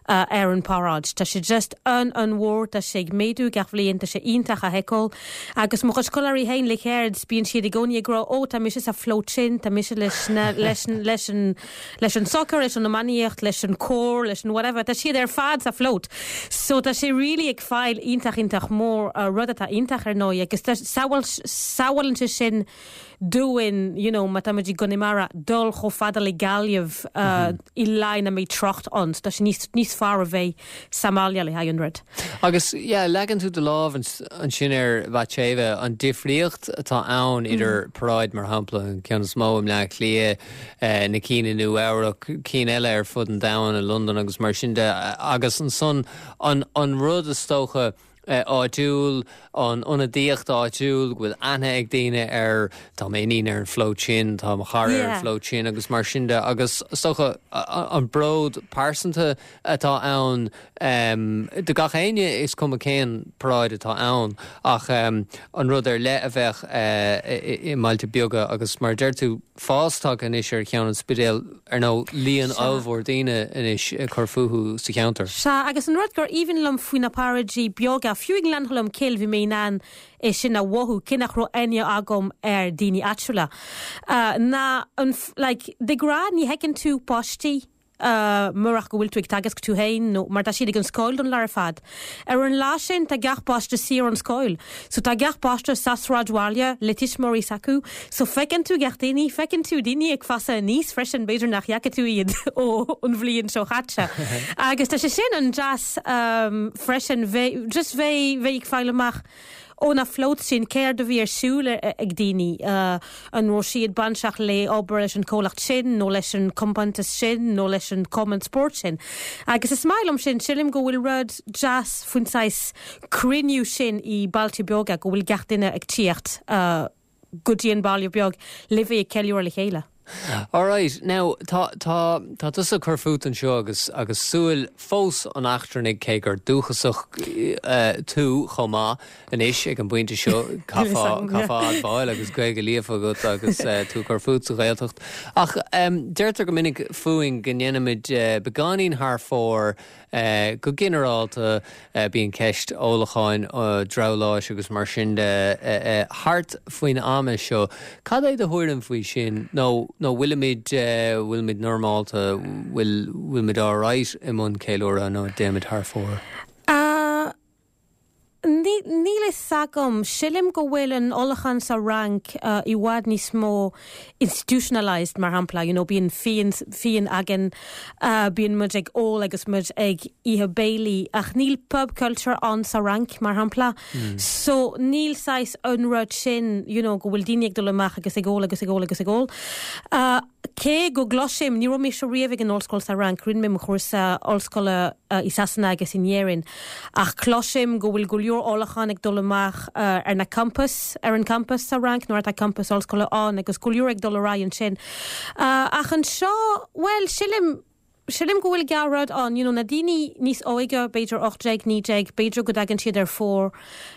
ar an paráid. Tá sé just an-an-mhór, tá sé ag méadú gach bhliain, tá sé iontach a fheiceáil. Agus mo chuid scoláirí féin le ceird, bíonn siad i gcónaí ag rá ó tá mise sa float sin, tá mise leis na leis leis an leis an soccer, leis an iománaíocht, leis an cór, leis an whatever, tá siad ar fad sa float. So tá sé really ag fáil iontach iontach mór, rud atá iontach ar ndóigh agus tá samhail samhlaíonn sé sin dúinn you know má tá muid i gConamara dul chomh fada le Gaillimh i lá ina mbeidh trácht ann. So tá sé níos níos fearr a bheith sa mbaile le haghaidh an rud. Agus yeah leagann tú do lámh ansin ar Bhaitséibhe, an difríocht atá ann idir paráid mar shampla an ceann is mó i mBleá Cliath, na cinn i Nua Eabhrac, cinn eile ar fud an domhain, i Londain agus mar sin de, agus ansan an an rud is dócha áitiúil, an ionadaíocht áitiúil, go bhfuil aithne ag daoine ar tá m'iníon ar an float sin, tá mo chara ar an float sin agus mar sin de agus is dócha an bród pearsanta atá ann do gach éinne, is cuma cén paráid atá ann ach an rud ar leith a bheadh i mbailte beaga agus mar a deir tú, fás tagtha anois ar cheann an Spidéil, ar ndóigh, líon ollmhór daoine anois ag cur fúthu sa cheantar. Sea, agus an rud gur aoibhinn liom faoi na paráidí beaga, fiú i nGleann Cholm Cille bhí mé in ann é sin a mhothú, cé nach raibh aithne agam ar daoine áitiúla, ná an, like, de ghnáth ní fheiceann tú páistí, murach go bhfuil tú ag teagasc tú féin nó mar tá siad ag an scoil don lá ar fad. Ar an lá sin tá gach páiste saor ón scoil. So tá gach páiste sa sráidbhaile le tuismitheoirí s'acu. So feiceann tú gach daoine, feiceann tú daoine ag fásadh aníos freisin, b'fhéidir nach bhfaca tú iad ó an bhliain seo chaite. Agus tá sé sin an-deas freisin bheith, just bheith, bheith ag fáil amach ó na floats sin céard a bhí ar siúl ag daoine, an raibh siad bainteach le obair leis an comhlacht sin nó leis an compántas sin nó leis an cumann spóirt sin. Agus is maith liom sin, sílim go bhfuil rud deas faoin saghas cruinniú sin i bailte beaga, go bhfuil gach duine ag tíocht go dtí an baile beag le bheith ag ceiliúradh le chéile. Alright, now tá, tá, tá tusa ag cur fút anseo agus, agus súil fós an eachtrannaigh cé gur dúchasach tú chomh maith anois ag an bpointe seo, caithfeá, caithfeá admháil agus Gaeilge líofa agat agus tú ag cur fút sa Ghaeltacht. Ach deirtear go minic fúinn go ndéanaimid beagáinín thar fóir Go ginearálta, bíonn ceist ólacháin, drabhláis agus mar sin de thart faoin am seo. Cad é do thuairim faoi sin? Nó nó bhfuilimid, bhfuilimid normálta, bhfuil, bhfuilimid alright i mbun ceiliúradh nó déanaimid thar fóir? Níl a fhios agam. Silim go bhfuil an ólachán sa Fhrainc i bhfad níos mó institutionalised, mar shampla, you know, bíonn fíon, fíon againn, bíonn muid ag ól agus muid ag ithe béilí, ach níl pub culture ann sa Fhrainc, mar shampla. So níl saghas an rud sin, you know, go bhfuil daoine ag dul amach agus ag ól agus ag ól agus ag ól. Cé go gcloisim, ní raibh mise riamh ag an ollscoil sa Fhrainc, rinne mé mo chúrsa ollscoile i Sasana agus in Éirinn, ach cloisim go bhfuil go leor ólachán ag dul amach ar na campas, ar an campas sa Fhrainc nuair atá campas ollscoile ann agus go leor ag dul ar aghaidh ansin. Ach anseo, bhuel, silim, silim go bhfuil dhá rud ann, you know, na daoine níos óige, b'fhéidir 18, 19, b'fhéidir go dtagann siad ar fóir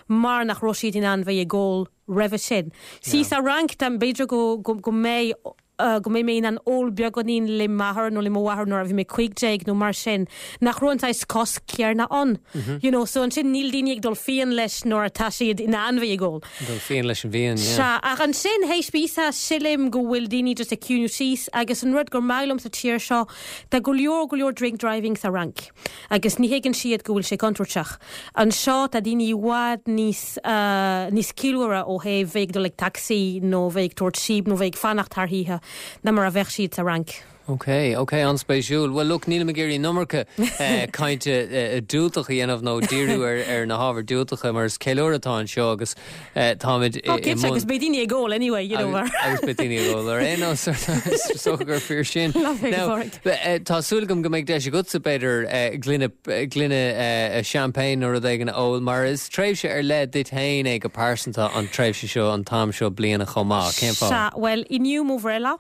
mar nach raibh siad in ann bheith ag ól roimhe sin. See, sa Fhrainc, tá, b'fhéidir go, go, go mbeidh, go mbeidh mé in ann ól beagáinín le m'athair nó le mo mháthair nuair a bhí mé 15 nó mar sin, nach raibh an saghas cosc céarna ann. You know, so ansin níl daoine ag dul fiáin leis nuair atá siad in ann bheith ag ól. Dul fiáin leis an bhfíon, yeah. Sea, ach ansin, théis píosa, silim go bhfuil daoine just ag ciúnú síos agus an rud gur maith liom sa tír seo, tá go leor, go leor drink driving sa Fhrainc. Agus ní thuigeann siad go bhfuil sé contúirteach. Anseo tá daoine i bhfad níos, níos ciallmhaire ó thaobh bheith ag dul ag tacsaí nó bheith ag tabhairt síob nó bheith ag fanacht thar oíche ná mar a bheadh siad sa Fhrainc. Ok, ok, an-spéisiúil. Bhuel, look, nílim ag iarraidh an iomarca cainte diúltach a dhéanamh nó díriú ar na hábhair diúltacha mar is ceiliúradh atá anseo agus táimid i mbun. Cinnte, agus beidh daoine ag ól anyway, you know. Agus beidh daoine ag ól ar aon nós, is dócha gur fíor sin. Now, tá súil agam go mbeidh deis agatsa, b'fhéidir, gloine, gloine champagne nó rud éigin a ól, mar is tréimhse ar leith duit féin é go pearsanta an tréimhse seo, an t-am seo bliana chomh maith. Cén fáth? Sea, bhuel, inniu mo bhreithlá.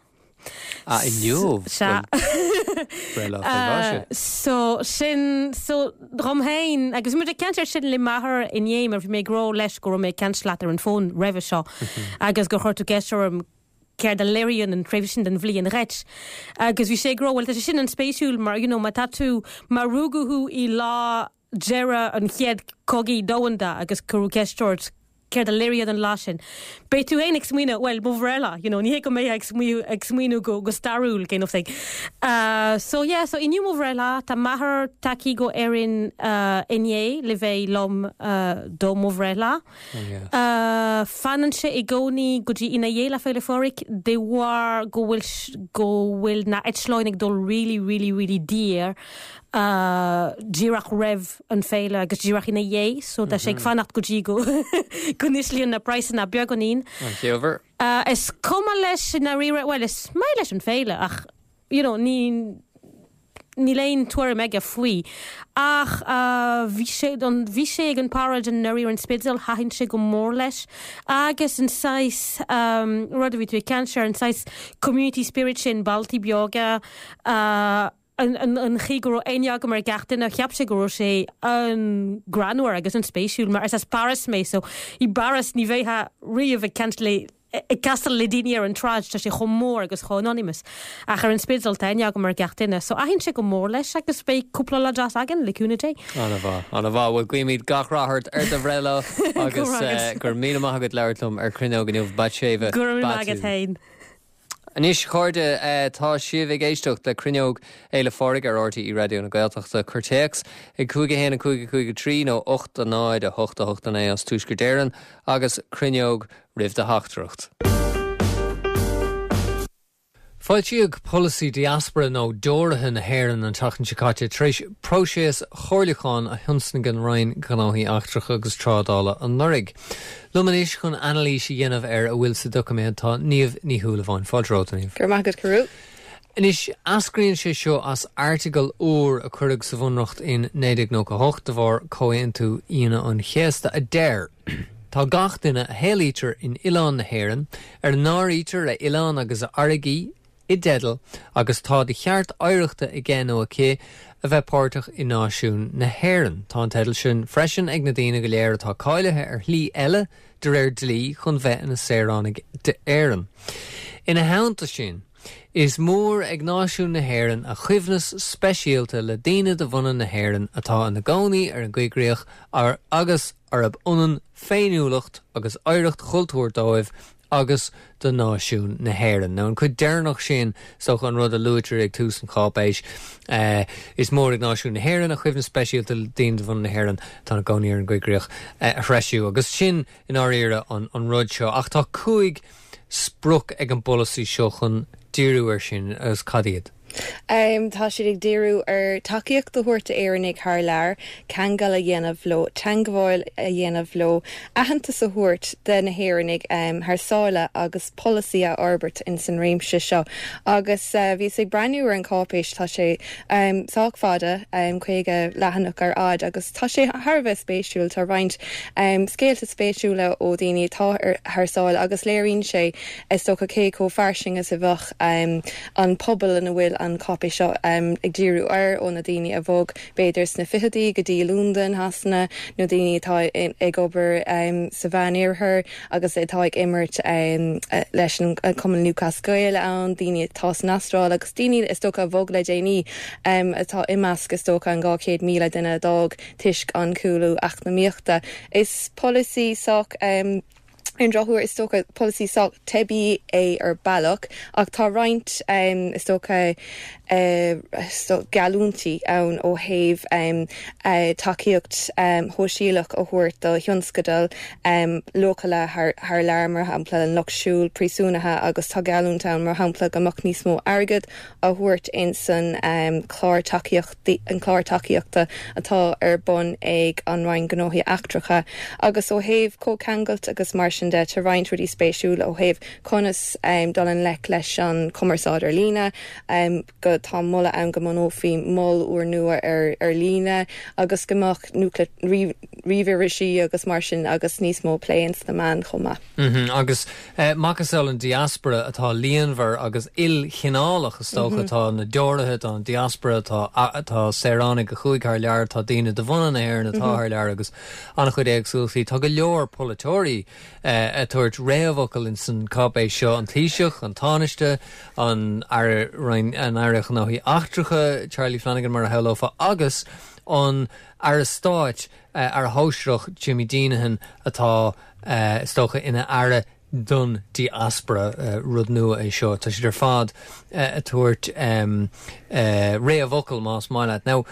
Ah, inniu? Sea. Breithlá faoi mhaise. So, sin, so, dhom féin, agus bhí muid ag caint air sin le m'athair inné, mar bhí mé ag rá leis go raibh mé ag caint leat ar an bhfón roimhe seo, agus gur chuir tú ceist orm céard a léiríonn an tréimhse sin den bhliain dhuit. Agus bhí sé ag rá, bhuel, tá sé sin an-spéisiúil mar, you know, má tá tú, má rugadh thú i lá deireadh an Chéad Chogaidh Domhanda agus cuireadh ceist ort céard a léiríonn an lá sin, beidh tú féin ag smaoineamh, bhuel, mo bhreithlá, you know, ní hé go mbeifeá ag smaoineamh, ag smaoineamh go, go stairiúil, kind of thing. Uh, so yeah, so inniu mo bhreithlá, tá m'athair tagtha go Éirinn uh, inné le bheith liom uh, do mo bhreithlá. Oh, yeah. Uh, fanann sé i gcónaí go dtí ina dhiaidh Lá Féile Phádraig de bharr go bhfuil, go bhfuil na eitleáin ag dul really, really, really daor díreach roimh an féile agus díreach ina dhiaidh so tá sé ag fanacht go dtí go go n-íslíonn na praghsanna beagáinín. An-chiallmhar. Is cuma leis i ndáiríre, bhuel is maith leis an féile ach you know ní níl aon tuairim aige faoi. Ach bhí sé an bhí sé ag an paráid anuraidh ar an Spidéal, thaitin sé go mór leis agus an saghas rud a bhí tú ag caint air, an saghas community spirit sin, bailtí beaga, an chaoi go raibh aithne agam ar gach duine, cheap sé go raibh sé an-ghreannmhar agus an-spéisiúil mar is as Páras mé so i bPáras ní bheifeá riamh ag caint le ag castáil le daoine ar an tsráid, tá sé chomh mór agus chomh anonymous. Ach ar an Spidéal tá aithne agam ar gach duine so thaitin sé go mór leis agus beidh cúpla lá deas againn le cúnamh Dé. An-mhaith, an-mhaith. Bhuel guímid gach rath ort ar do bhreithlá agus go raibh míle maith agat labhairt liom ar Cruinneog inniu, Batsheva Go raibh míle maith agat féin. Anois, a chairde, tá sibh ag éisteacht le Cruinneog Fhéile Phádraig ar RTÉ Raidió na Gaeltachta. Cuir téacs ag 5 1 5 5 3 nó 8 0 8 8 9 as Tuaisceart Éireann agus Cruinneog roimh do theachtaireacht. Foilsíodh polasaí diaspora nó deoraithe na hÉireann an tseachtain seo caite tar éis próiseas chomhairliúcháin a thionscnaigh an Roinn Gnóthaí Eachtracha agus Trádála anuraidh. Liom anois chun anailís a dhéanamh ar a bhfuil sa doiciméad tá Niamh Ní Shúilleabháin. Fáilte romhat, a Niamh. Go raibh maith agat, Cearbhall. Anois, eascraíonn sé seo as airteagal úr a cuireadh sa Bhunreacht in 1998 de bharr Comhaontú Aoine an Chéasta a deir, Tá gach duine a shaolaítear in oileán na hÉireann, ar a n-áirítear a oileán agus a fharraigí, i dteideal agus tá de cheart oidhreachta aige nó aici a bheith páirteach i náisiún na hÉireann. Tá an teideal sin freisin ag na daoine go léir atá cáilithe ar shlí eile de réir dlí chun bheith ina saoránaigh d'Éirinn. Ina theannta sin, is mór ag náisiún na hÉireann a choibhneas speisialta le daoine de bhunadh na hÉireann atá ina gcónaí ar an gcoigríoch agus arb ionann féiniúlacht agus oidhreacht chultúir dóibh agus do náisiún na hÉireann. Now an cuid deireanach sin, is dócha an rud a luaitear ag tús an cháipéis, is mór ag náisiún na hÉireann a choibhneas speisialta le daoine de bhunadh na hÉireann atá ina gcónaí ar an gcoigríoch a threisiú. Agus sin i ndáiríre an rud seo. Ach tá 5 sprioc ag an bpolasaí seo chun díriú air sin agus cad iad? Tá siad ag díriú ar tacaíocht a thabhairt d'Éireannaigh thar lear, ceangal a dhéanamh leo, teangmháil a dhéanamh leo, aitheantas a thabhairt de na hÉireannaigh thar sáile agus polasaí a fhorbairt ins an réimse seo. Agus bhíos ag breathnú ar an cháipéis, tá sé sách fada, 50 leathanach ar fhad, agus tá sé thar a bheith spéisiúil. Tá roinnt scéalta spéisiúla ó dhaoine atá thar sáile agus léiríonn sé, is dócha, cé chomh fairsing is a bheadh an pobal ina bhfuil an cháipéis seo ag díriú air, ó na daoine a bhog b'fhéidir sna fichidí go dtí Londain, Shasana, nó daoine atá ag obair sa Mheánoirthear agus atá ag imirt leis an Cumann Lúthchleas Gael ann, daoine atá san Astráil agus daoine is dócha a bhog le déanaí atá i measc is dócha an 200,000 duine a d'fhág toisc an cúlú eacnamaíochta. Is polasaí sách. Ar an drochuair, is dócha, polasaí sách teibí é ar bealach, ach tá roinnt, is dócha, geallúintí ann ó thaobh tacaíocht shóisialach a thabhairt do thionscadail leochaileacha thar lear, mar shampla an lucht siúil, príosúnaithe, agus tá geallúint ann, mar shampla, go mbeadh níos mó airgid á thabhairt ins an chlár tacaíochtaí, an clár tacaíochta atá ar bun ag an Roinn Gnóthaí Eachtracha. Agus ó thaobh comhcheangailt agus mar sin de, tá roinnt rudaí spéisiúla ó thaobh conas dul i ngleic leis an chumarsáid ar líne, go, tá moladh ann go mbunófaí mol úrnua ar ar líne agus go mbeadh nuacht, ríomhirisí agus mar sin agus níos mó plé ins na meáin chomh maith. Agus macasamhail an diaspora atá líonmhar agus ilchineálach, is dócha. Tá na deoraithe, tá an diaspora, tá tá saoránaigh a chuaigh thar lear, tá daoine de bhunadh na hÉireann atá thar lear agus an-chuid éagsúlachtaí. Tá go leor polaiteoirí ag tabhairt réamhfhocal ins an cáipéis seo, an Taoiseach, an Tánaiste, an Aire an Aire Gnóthaí Eachtracha, Charlie Flanagan mar a shamhlófá, agus an Aire Stáit, Aire Shóisearach Jimmy Deenihan atá, is dócha, ina aire don diaspora. Rud nua é seo. Tá siad ar fad ag tabhairt réamhfhocal, más maith leat. Now,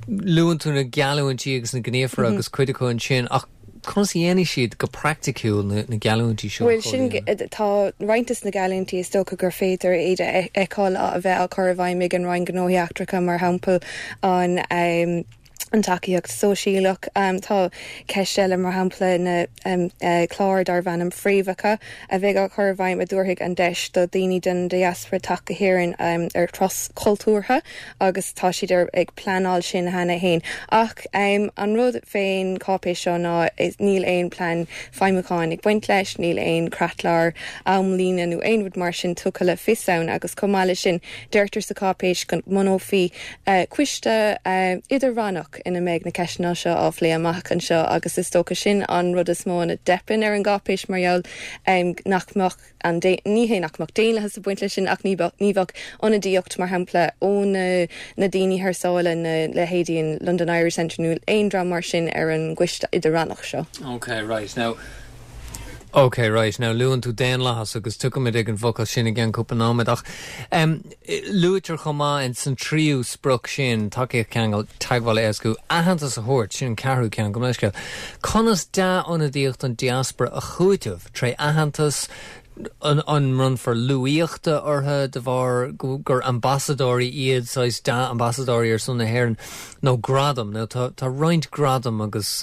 luann tú na geallúintí agus na gníomhartha agus cuid acu ansin, ach conas a dhéanfaidh siad go praiticiúil na geallúintí seo a Bhuel, sin, chomhlíonadh? tá roinnt des na geallúintí is dócha gur féidir iad a fheiceáil a bheith á cur i bhfeidhm ag an Roinn Gnóthaí Eachtracha, mar shampla an an tacaíocht sóisialach. Tá ceist eile, mar shampla na clár darb ainm Fréamhacha a bheidh á chur i bhfeidhm a dtabharfaidh an deis do dhaoine den diaspora teacht go hÉirinn ar thuras cultúrtha agus tá siad ar ag pleanáil sin cheana féin. Ach an rud fén cháipéis seo ná níl aon plean feidhmiúcháin ag baint leis, níl aon chreatlár amlíne nó aon rud mar sin tugtha le fios ann agus chomh maith leis sin deirtear sa cháipéis go mbunófaí Coiste idir-rannach ina mbeidh na ceisteanna seo á phlé amach anseo agus is dócha sin an rud is mó ina dteipeann ar an gcáipéis mar gheall nach mbeadh an, ní hé nach mbeadh daonlathas ag baint leis sin ach ní bheadh, ní bheadh ionadaíocht mar shampla ó na na daoine thar sáile, na leithéidí an London Irish Centre nó aon dream mar sin ar an gcoiste idir-rannach seo. Ok, right. Now, Ok, right. Now, luann tú daonlathas agus tiocfaimid ag an bhfocal sin i gceann cúpla nóiméad ach em, luaitear chomh maith in san tríú sprioc sin, tacaíocht ceangal, teagmháil a éascú, aitheantas a thabhairt, sin an ceathrú ceann, gabh mo leithscéal. Conas dea-ionadaíocht an diaspora a chúiteamh tré aitheantas, an mbronnfar luaíochta orthu de bharr gur ambasadóirí iad, saghas dea-ambasadóirí ar son na hÉireann, nó gradam. Now tá tá roinnt gradam agus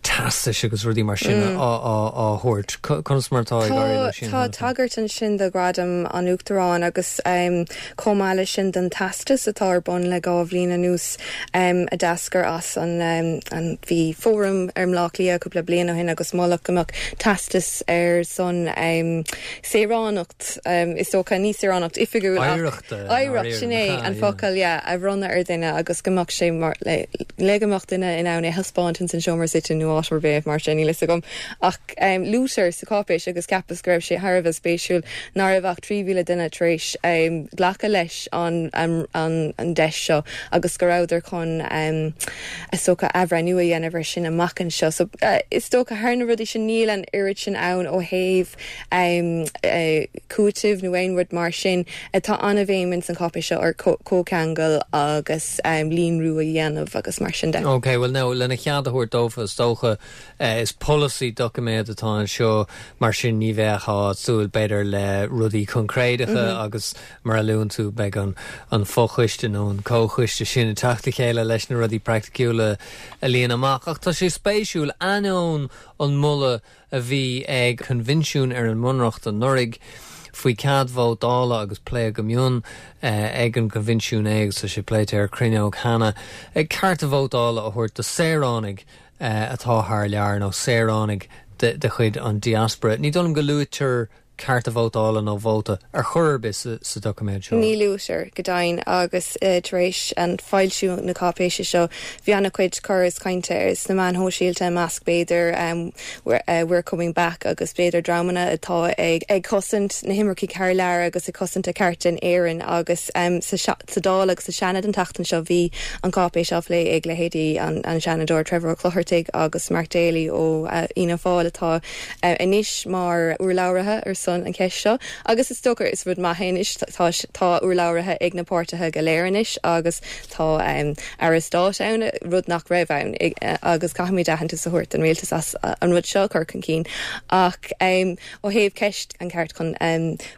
teastais agus rudaí mar sin á á thabhairt. Conas mar atá ag éirí leo sin? Tá tagairt ansin do Ghradam an Uachtaráin agus chomh maith leis sin don teastas atá ar bun le 2 bhliain anuas a d'eascair as an an bhí fóram ar mBleá Cliath cúpla bliain ó shin agus moladh go mbeadh teastas ar son. Saoránacht, is dócha, ní saoránacht oifigiúil ach Oidhreacht, oidhreacht, sin é an focal, yeah, a bhronnadh ar dhuine agus go mbeadh sé mar, le, le go mbeadh duine in ann é a thaispeáint ins an seomra suite nó áit ar bith mar sin, níl fhios agam. Ach luaitear sa cháipéis agus cheapas go raibh sé thar a bheith spéisiúil nach raibh ach 3,000 duine tar éis glacadh leis an, an, an deis seo agus go rabhadar chun is dócha athbhreithniú a dhéanamh ar sin amach anseo. So is dócha thar na rudaí sin níl an oiread sin ann ó thaobh cúitimh nó aon rud mar sin. Tá an-bhéim ins an cháipéis seo ar comhcheangal agus líonrú a dhéanamh agus mar sin de. Ok, bhuel now lena chead a thabhairt dófa is dócha is polasaí doiciméad atá anseo mar sin ní bheifeá ag súil b'fhéidir le rudaí coincréideacha agus Mar a luann tú, beidh an fochoiste nó an comhchoiste sin ag teacht le chéile leis na rudaí praiticiúla a líonadh amach. Ach tá sé spéisiúil, ainneoin an moladh a bhí ag Coinbhinsiún ar an mBunreacht anuraidh faoi cead vótála agus pléadh go mion ag an gCoinbhinsiún é agus tá sé pléite ar Cruinneog cheana, cearta vótála a thabhairt do saoránaigh atá thar lear nó saoránaigh de chuid an diaspora. Ní dóigh liom go luaitear cearta vótála nó vóta ar chor ar bith sa doiciméad seo. Ní luaitear, go deimhin, agus tar éis an foilsiú na cáipéise seo bhí an-chuid cur is cainte sna meáin shóisialta i measc b'fhéidir We're Coming Back agus b'fhéidir dreamanna atá ag cosaint na himircigh thar lear agus ag cosaint a cearta in Éirinn agus sa Dáil agus sa Seanad an tseachtain seo bhí an cáipéis á phlé ag leithéidí an Seanadóir Trevor Ó Clochartaigh agus Mark Daly ó Fhianna Fáil atá anois mar urlabhraithe ar son an cheist seo agus is dócha is rud maith é anois tá tá urlabhraithe ag na páirtithe go léir anois agus tá Aire Stáit ann, rud nach raibh ann agus caithfimid aitheantas a thabhairt don rialtas as an rud seo a chur chun cinn ach ó thaobh ceist an ceart chun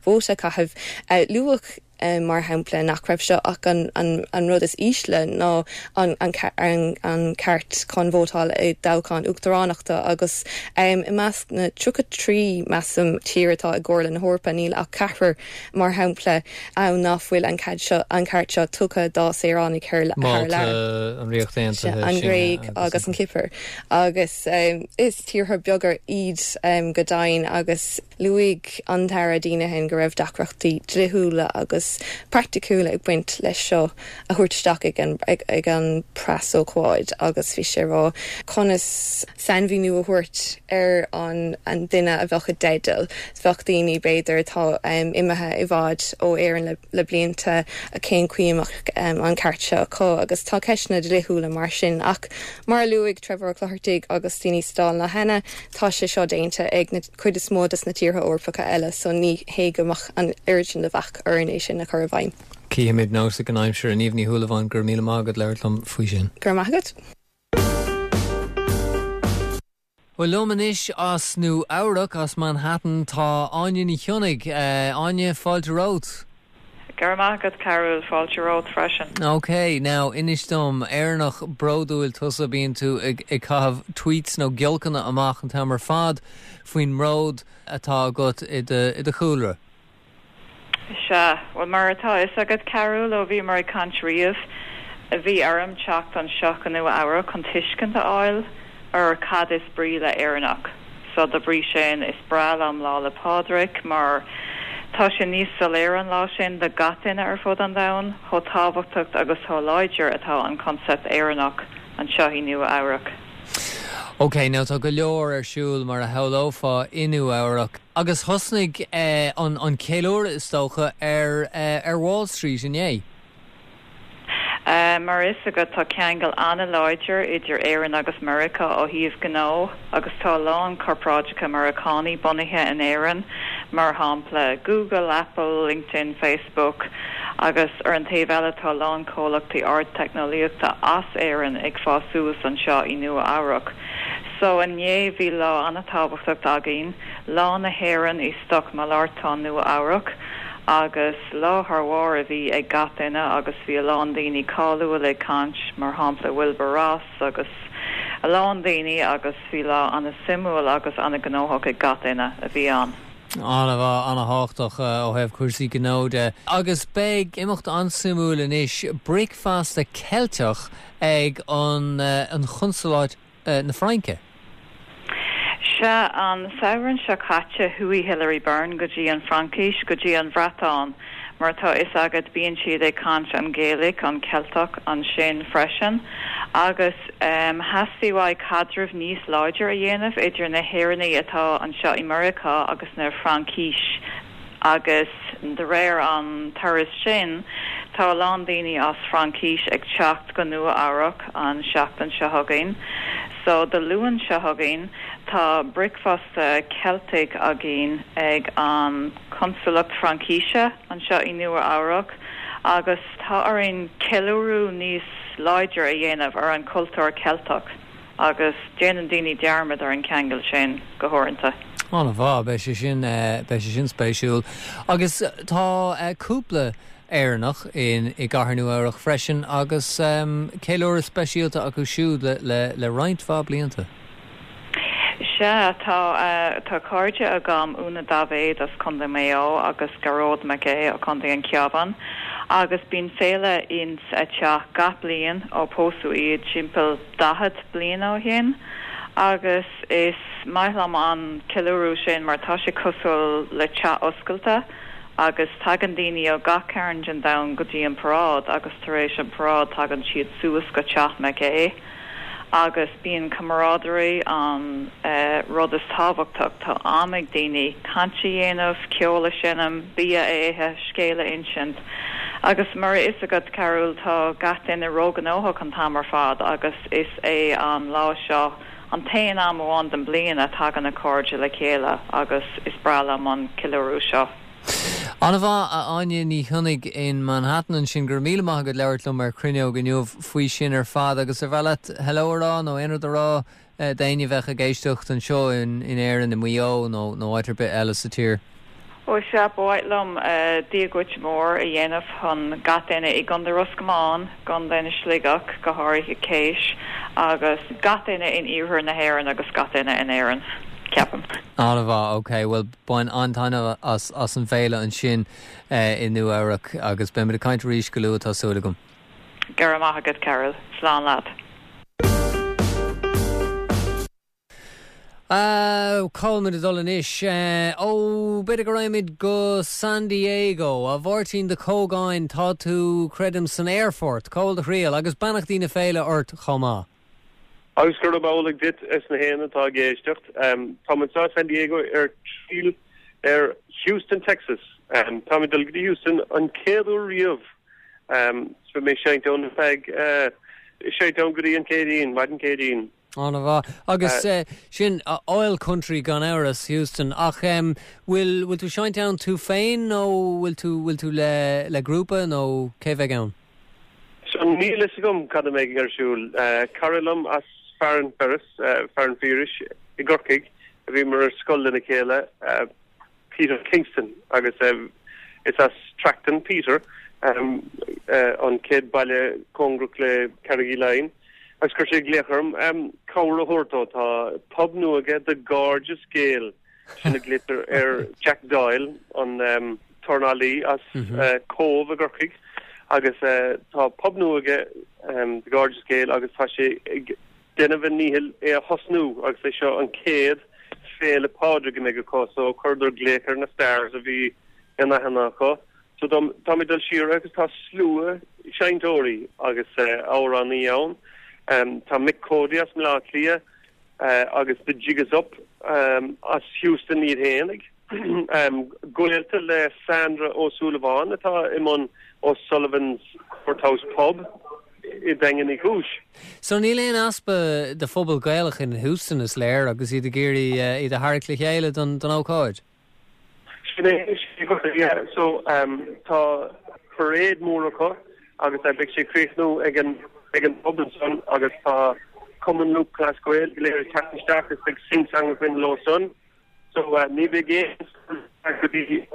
vóta a chaitheamh luadh mar shampla, nach raibh seo ach an rud is ísle ná an ceart chun vótáil i dtoghchán uachtaránachta agus i measc na 33, measaim, tír atá i gComhairle na hEorpa, níl ach ceathrar, mar shampla, ann nach bhfuil an cead seo, an ceart seo tugtha dá saoránaigh thar lear. Málta, an Ríocht Aontaithe, an Ghréig agus an Chipir. Agus is tíortha beaga iad go deimhin agus. Luaigh an tAire Deenihan go raibh deacrachtaí dlíthiúla agus praiticiúla ag baint leis seo a thabhairt isteach ag an preasócáid agus bhí sé ag rá conas sainmhíniú a thabhairt ar an duine a bheadh i dteideal. Bheadh daoine, b'fhéidir, atá imithe i bhfad ó Éirinn le blianta, cén chaoi a mbeadh an ceart seo acu agus tá ceisteanna dlíthiúla mar sin ach mar a luaigh Trevor Ó Clochartaigh agus daoine sa Dáil cheana, tá sé seo déanta ag na. cuid is mó des na tíortha Eorpacha eile so ní hé go mbeadh an oiread sin de bhac orainn é sin a chur i bhfeidhm. Cífimid nós ag an aimsir. A Niamh Ní Shúilleabháin, go raibh míle maith agat labhairt liom faoi sin. Go raibh maith agat. Bhuel, liom anois as Nua Eabhrac, as Manhattan, tá Áine Ní Chionnaigh. Áine, fáilte romhat. Go raibh maith agat, Cearbhall. Fáilte romhat freisin. Ok, now, inis dom, Éireannach bródúil tusa, bíonn tú ag caitheamh tweets nó giolcanna amach an t-am ar fad faoin mbród atá agat i do chúlra. Sea, bhuel, mar atá a fhios agat, Cearbhall, ó bhíomar ag caint riamh, bhí orm teacht anseo go Nua Eabhrac chun tuiscint a fháil ar cad is brí le Éireannach. So da bhrí sin, is breá liom Lá 'le Pádraig mar tá sé níos soiléire an lá sin do gach duine ar fud an domhain chomh tábhachtach agus chomh láidir atá an concept Éireannach anseo i Nua Eabhrac. Ok, now tá go leor ar siúl mar a shamhlófá i Nua Eabhrac agus thosnaigh an ceiliúradh is dócha ar Wall Street inné. Mar is agat, tá ceangal an-láidir idir Éirinn agus Meiriceá ó thaobh gnó agus tá a lán corparáideacha Meiriceánaí bunaithe in Éirinn, mar shampla Google, Apple, LinkedIn, Facebook, agus ar an taobh eile tá a lán comhlachtaí ardteicneolaíochta as Éirinn ag fás suas anseo i Nua Eabhrac. So inné bhí lá an-tábhachtach againn, Lá na hÉireann i Stocmhalartán Nua Eabhrac agus lá thar bharr a bhí ag gach duine agus bhí a lán daoine cáiliúil ag caint, mar shampla Wilbur Ross agus a lán daoine agus bhí lá an-suimiúil agus an-ghnóthach ag gach duine a bhí ann. An-mhaith, an-thábhachtach ó thaobh cúrsaí gnó de. Agus beidh imeacht an-suimiúil anois, bricfeasta Ceilteach ag an Chonsaláid na Fraince. Sea, an samhradh seo caite chuaigh Hilary Byrne go dtí an Fraincis, go dtí an Bhreatáin. Mar atá fhios agat bíonn siad ag caint an Gaelic, an Ceilteach, ansin freisin. Agus theastaigh uaidh caidreamh níos láidir a dhéanamh idir na hÉireannaigh atá anseo i Meiriceá agus na Fraincis. Agus de réir an turas sin, tá a lán daoine as Fraincis ag teacht go Nua Eabhrac an seachtain seo chugainn. So Dé Luain seo chugainn, tá bricfeasta Ceiltigh againn ag an Consalacht Fraincise anseo i Nua Eabhrac agus tá orainn ceiliúradh níos láidir a dhéanamh ar an cultúr Ceilteach. Agus déanann daoine dearmad ar an ceangal sin go huaireanta. An-mhaith, beidh sé sin, beidh sé sin spéisiúil. Agus tá cúpla Éireannach in i gcathair Nua Eabhrach freisin agus ceiliúradh speisialta acu siúd le le le roinnt mhaith blianta. Sea, tá tá cairde agam, Úna Daibhéad as Contae Maigh Eo agus Gearóid Mac Aodha ó Chontae an Chabháin agus bíonn féile ins a teach gach bliain ó pósadh iad timpeall 40 bliain ó shin agus is maith liom an ceiliúradh sin mar tá sé cosúil le teach oscailte agus tagann daoine ó gach cearn den domhan go dtí an paráid agus tar éis an paráid tagann siad suas go teach Mac Aodha agus bíonn camaraderie an rud is tábhachtach. Tá am ag daoine caint a dhéanamh, ceol a seinm, bia a ithe, scéal a insint. Agus mar a fhios agat, Cearbhall, tá gach duine róghnóthach an t-am ar fad agus is é an lá seo an t-aon am amháin den bliain a tagann na cairde le chéile agus is breá liom an ceiliúradh seo. An-mhaith, a Áine Ní Chionnaith in Manhattan ansin. Go raibh míle maith agat labhairt liom ar Cruinneog inniu faoi sin ar fad agus ar mhaith leat hello a rá nó aon rud a rá d'éinne a bheadh ag éisteacht anseo in Éirinn, i Maigh Eo nó nó áit ar bith eile sa tír. Ó sea, ba mhaith liom Dia dhuit mór a dhéanamh chun gach duine i gContae Ros Comáin, gContae na Sligeach, go háirithe Keash, agus gach duine in iarthar na hÉireann agus gach duine in Éirinn, ceapaim. An-mhaith, ok, bhuel bain an-taitneamh as as an bhféile ansin i Nua Eabhrac agus beimid ag caint arís go luath tá súil agam. Go raibh maith agat, Cearbhall. Slán leat. Cá bhfuil muid ag dul anois? Ó, b'fhéidir go raghaimid go San Diego. A Mháirtín de Cógáin, tá tú, creidim, san aerfort. Cá bhfuil do thriall? Agus beannachtaí na féile ort chomh maith. Agus gurab amhlaidh duit is na héinne atá ag éisteacht. Táim anseo i San Diego ar triall ar Houston, Texas. Táim ag dul go dtí Houston an chéad uair riamh. So beidh mé ag seinnt ann ar feadh, seinnt ann go dtí an Céadaoin, maidin Céadaoin. An-mhaith. Agus sin oil country gan amhras, Houston. Ach bhfuil, bhfuil tú ag seinnt ann tú féin nó bhfuil tú, bhfuil tú le, le grúpa nó cé bheidh ann? So níl fhios agam cad a mbeidh ar siúl. Cara liom as Farranferris, Farranferris i gCorcaigh, a bhíomar ar scoil lena chéile, Peter Kingston agus is as Tracton Peter, an chéad baile cóngarach le Carraig Uí Leighin, agus chuir sé glaoch orm cabhair a thabhairt dó. Tá pub nua aige, The Gorgeous Gael, sin a ghlaoitear ar Jack Doyle, an tornálaí as Cóbh i gCorcaigh, agus tá pub nua aige, The Gorgeous Gael, agus tá sé ag déanamh a ndíchill é a thosnú agus é seo an chéad Féile Pádraig a mbeidh acu so chuireadar glaoch ar na stars a bhí in aithne acu. So táim ag dul siar agus tá slua seinnteoirí agus amhránaí ann. Tá Mick Cody as mBleá Cliath agus The Jig Is Up as Houston iad fhéinig. Gaolta le Sandra Ó Súilleabháin atá i mbun O'Sullivan's Courthouse Pub. i nDaingean Uí Chúis. So níl aon easpa de phobal Gaelach in Houston is léir agus iad ag iarraidh iad a tharraingt le chéile don ócáid. Sin é, yeah. So tá parade mór acu agus beidh sé ag críochnú ag an ag an pub ansan agus tá Cumann Lúthchleas Gael go léir ag teacht isteach is beidh sing song againn leo san. So ní bheidh aon stad go dtí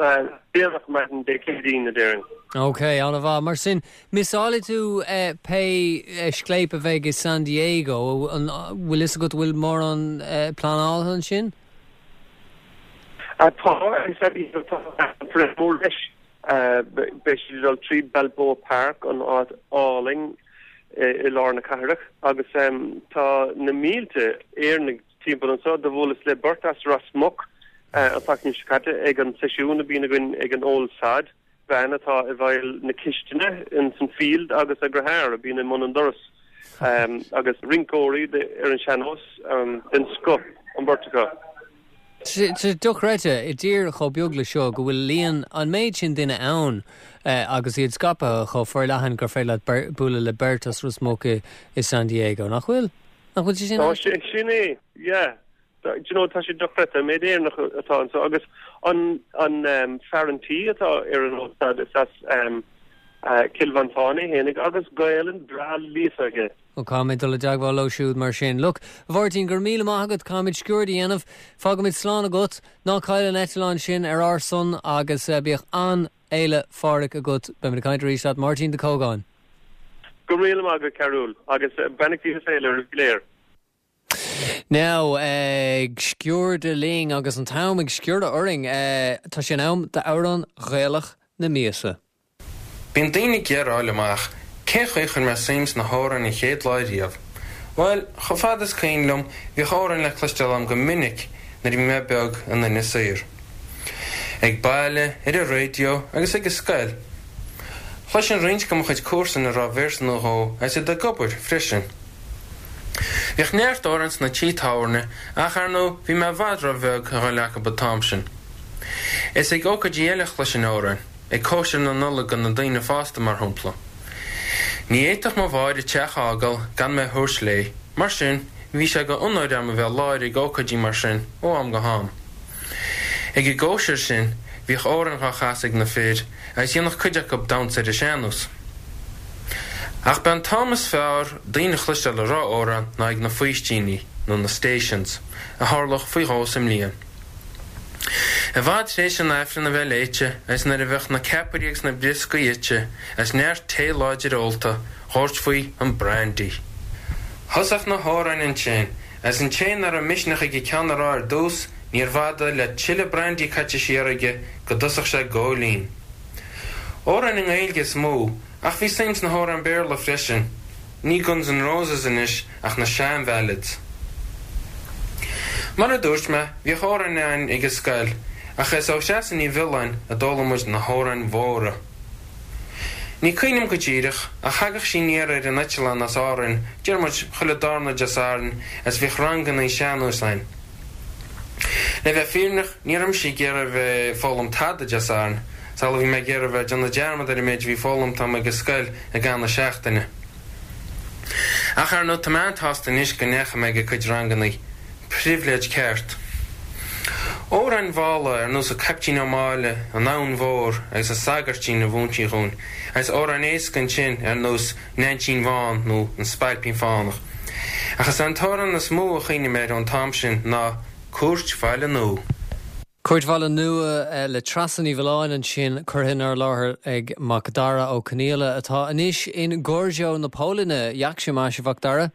déanach maidin Dé Céadaoin, a déarfainn. Ok, an-mhaith. Mar sin, miseálfaidh tú pé scléip a bheidh i San Diego. An bhfuil fhios agat bhfuil mórán pleanáilte ansin? Tá, i San Diego tá parade mór leis. Beidh siad ag dul tríd Balboa Park, an áit álainn i lár na cathrach, agus tá na mílte Éireannaigh. timpeall anseo. Do bhuaileas le beirt as Ros Muc an tseachtain seo caite ag an seisiún a bhíonn againn ag an Old Sod, bean atá i bhfeighil na cistine ins an Field agus a deartháir a bhíonn i mbun an doras agus rinceoirí ar an sean-nós den scoth an bheirt acu. Tá sé dochreidte, i dtír chomh beag le seo, go bhfuil líon an méid sin duine ann agus iad scaipthe chomh forleathan gur féidir leat bualadh le beirt as Ros Muc i San Diego, nach bhfuil? Nach bhfuil sé sin aisteach? Sin é, yeah. Do you know, tá sé dochreidte, an méid Éireannach atá anseo agus an an fear an tí atá ar an Old Sod, is as Cill Mhantáin é fhéinig agus Gaelainn breá líofa aige. Ó, caithfidh mé dul i dteagmháil leo siúd mar sin. Look, a Mháirtín, go raibh míle maith agat, caithfimid sciuird a dhéanamh. Fágaimid slán agat. Ná caill an eitleán sin ar ár son agus bíodh an-Fhéile Phádraig agat. Beimid ag caint arís leat, Máirtín de Cógáin. Go raibh míle maith agat, Cearúl, agus beannachtaí na féile oraibh go léir. Now, ag sciúrdadh linn agus an t-am ag sciúradh orainn, tá sé in am d'amhrán Ghaelach na míosa. Bíonn daoine ag iarraidh a fháil amach cén chaoi a chuir mé suim sna hamhráin an chéad lá riamh. Bhuel, chomh fada is cuimhin liom, bhíodh amhráin le cloisteáil agam go minic nuair a bhí mé beag i nduine saor. Ag baile, ar an raidió agus ag an scoil. Chloisinn roinnt de mo chuid comharsan ag rá véarsa nó dhó agus iad ag obair freisin. Bhíodh neart amhrán sna tithe tábhairne ach, ar ndóigh, bhí mé i bhfad ró-bheag a dhul acu an t-am sin. Is ag ócáidí eile a chloisinn amhráin, ag cóisir na Nollag do na daoine fásta, mar shampla. Ní fhéadfadh mo mháthair an teach a fhágáil gan mé a thabhairt léi, mar sin, bhí sé go onóir a'm a bheith i láthair ag ócáidí mar sin ó am go ham. Ag an gcóisir sin, bhíodh amhráin dhá chasadh ag na fir agus dhéanadh cuid acu damhsa ar an sean-nós. Ach b'é an t-am is fearr daoine a chloisteáil ag rá amhrán ná ag na faoistíní, nó na stations, a tharlódh faoi dhó sa mbliain. I bhfad tar éis an Aifreann a bheith léite agus nuair a bheadh na ceapairí agus na brioscaí ite agus neart tae láidir ólta, dh'thabhairt faoi an brandy. Thosódh na hamhráin ansin, agus an té nach raibh misneach aige ceann a rá ar dtús, níorbh fhada le tuilleadh brandy caite siar aige go dtosódh sé ag góilín. Amhráin i nGaeilge is mó, ach bhí suim sna hamhráin Béarla freisin. Ní Guns N' Roses anois ach na sean-bhallads. Mar a dúirt mé, bhíodh amhráin againn ag an scoil, ach is ó Threasa Ní Mhiolláin a d'fhoghlaim muid na hamhráin mhóra. Ní cuimhin liom go díreach, ach thagadh sí aniar ar an eitleán as Árainn, deir muid, chuile darna Dé Sathairn, agus bhíodh rangannaí sean-nóis againn. Le bheith fírinneach, ní raibh mise ag iarraidh a bheith ag foghlaim tada Dé Sathairn, is amhlaidh a bhí mé ag iarraidh a bheith ag déanamh dearmad ar an méid a bhí foghlamtha agam ag an scoil i gcaitheamh na seachtaine. Ach ar ndóigh, tá mé an-tsásta anois go ndeachaigh mé ag a cuid rangannaí. Pribhléid ceart. Amhráin mhalla ar nós An Caiptín Ó Máille, An Abhainn Mhór agus An Sagairtín a mhúin sí dhúinn, agus amhráin éasca ansin ar nós Neainsín Bhán nó An Spailpín Fánach. Ach is é an t-amhrán is mó a chuimhním air ón t-am sin ná Cúirt Bhaile Nua. Cúirt Bhaile Nua le Treasa Ní Mhiolláin ansin, curtha inár láthair ag Macdara Ó Conaola, atá anois in Gorzów na Polainne. Jak się masz, a Mhacdara?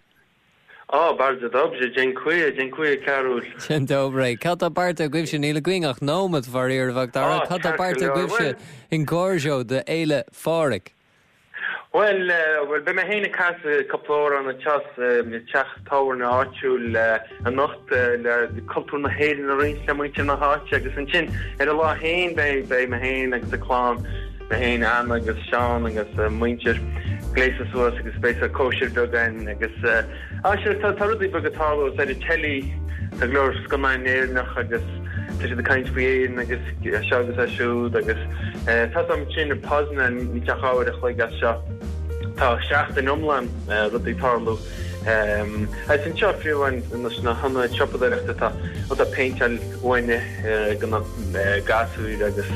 O, bardzo dobrze, dziękuję, dziękuję Cearúil. Dzień dobry. Cad tá beartaithe agaibhse? Níl againn ach nóiméad, faraor, a Mhacdara. Cad tá beartaithe agaibhse in Gorzów do Fhéile Phádraig? Bhuel, bhuel, beidh mé féin ag casadh cúpla amhrán anseo sa teach tábhairne áitiúil anocht le cultúr na hÉireann a roinnt le muintir na háite agus ansin ar an lá féin beidh, beidh mé féin agus an clann, mé féin, Anna agus Seán agus a muintir gléasta suas agus beidh sórt cóisir beag againn agus ah sure tá, tá rudaí beaga ag tarlú ar an teilí, tá go leor scannáin Éireannach agus tá siad ag caint faoi Éirinn agus é seo agus é siúd agus tá a fhios a'm ansin i Poznan níl ach uair a chloig as seo. Tá seachtain iomlán rudaí ag tarlú. Agus anseo fiú amháin sna hionaid siopadóireachta tá tá péinteáil uaine ag na gasúir agus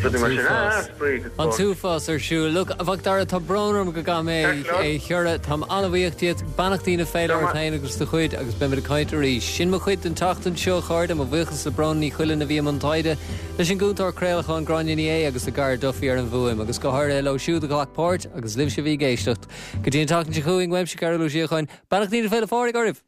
rudaí mar sin. Ah, spraoi go An t-uafás ar siúl. Look, a Mhacdara, tá brón orm go gcaithfidh mé é a chiorradh. Táim an-bhuíoch díot. Beannachtaí na féile ort féin agus do chuid agus beimid ag caint arís. Sin mo chuid den tseachtain seo, a chairde. Mo bhuíochas le Bróna Ní Chuilinn a bhí i mbun taighde, leis an gcúntóir craolacháin Gráinne Ní Aodha agus le Gar Duffy ar an bhfuaim, agus go háirithe leo siúd a ghlac páirt agus libhse a bhí ag éisteacht. Go dtí an tseachtain seo chugainn, uaimse Cearúl Ó Síocháin, beannachtaí na Féile Phádraig oraibh!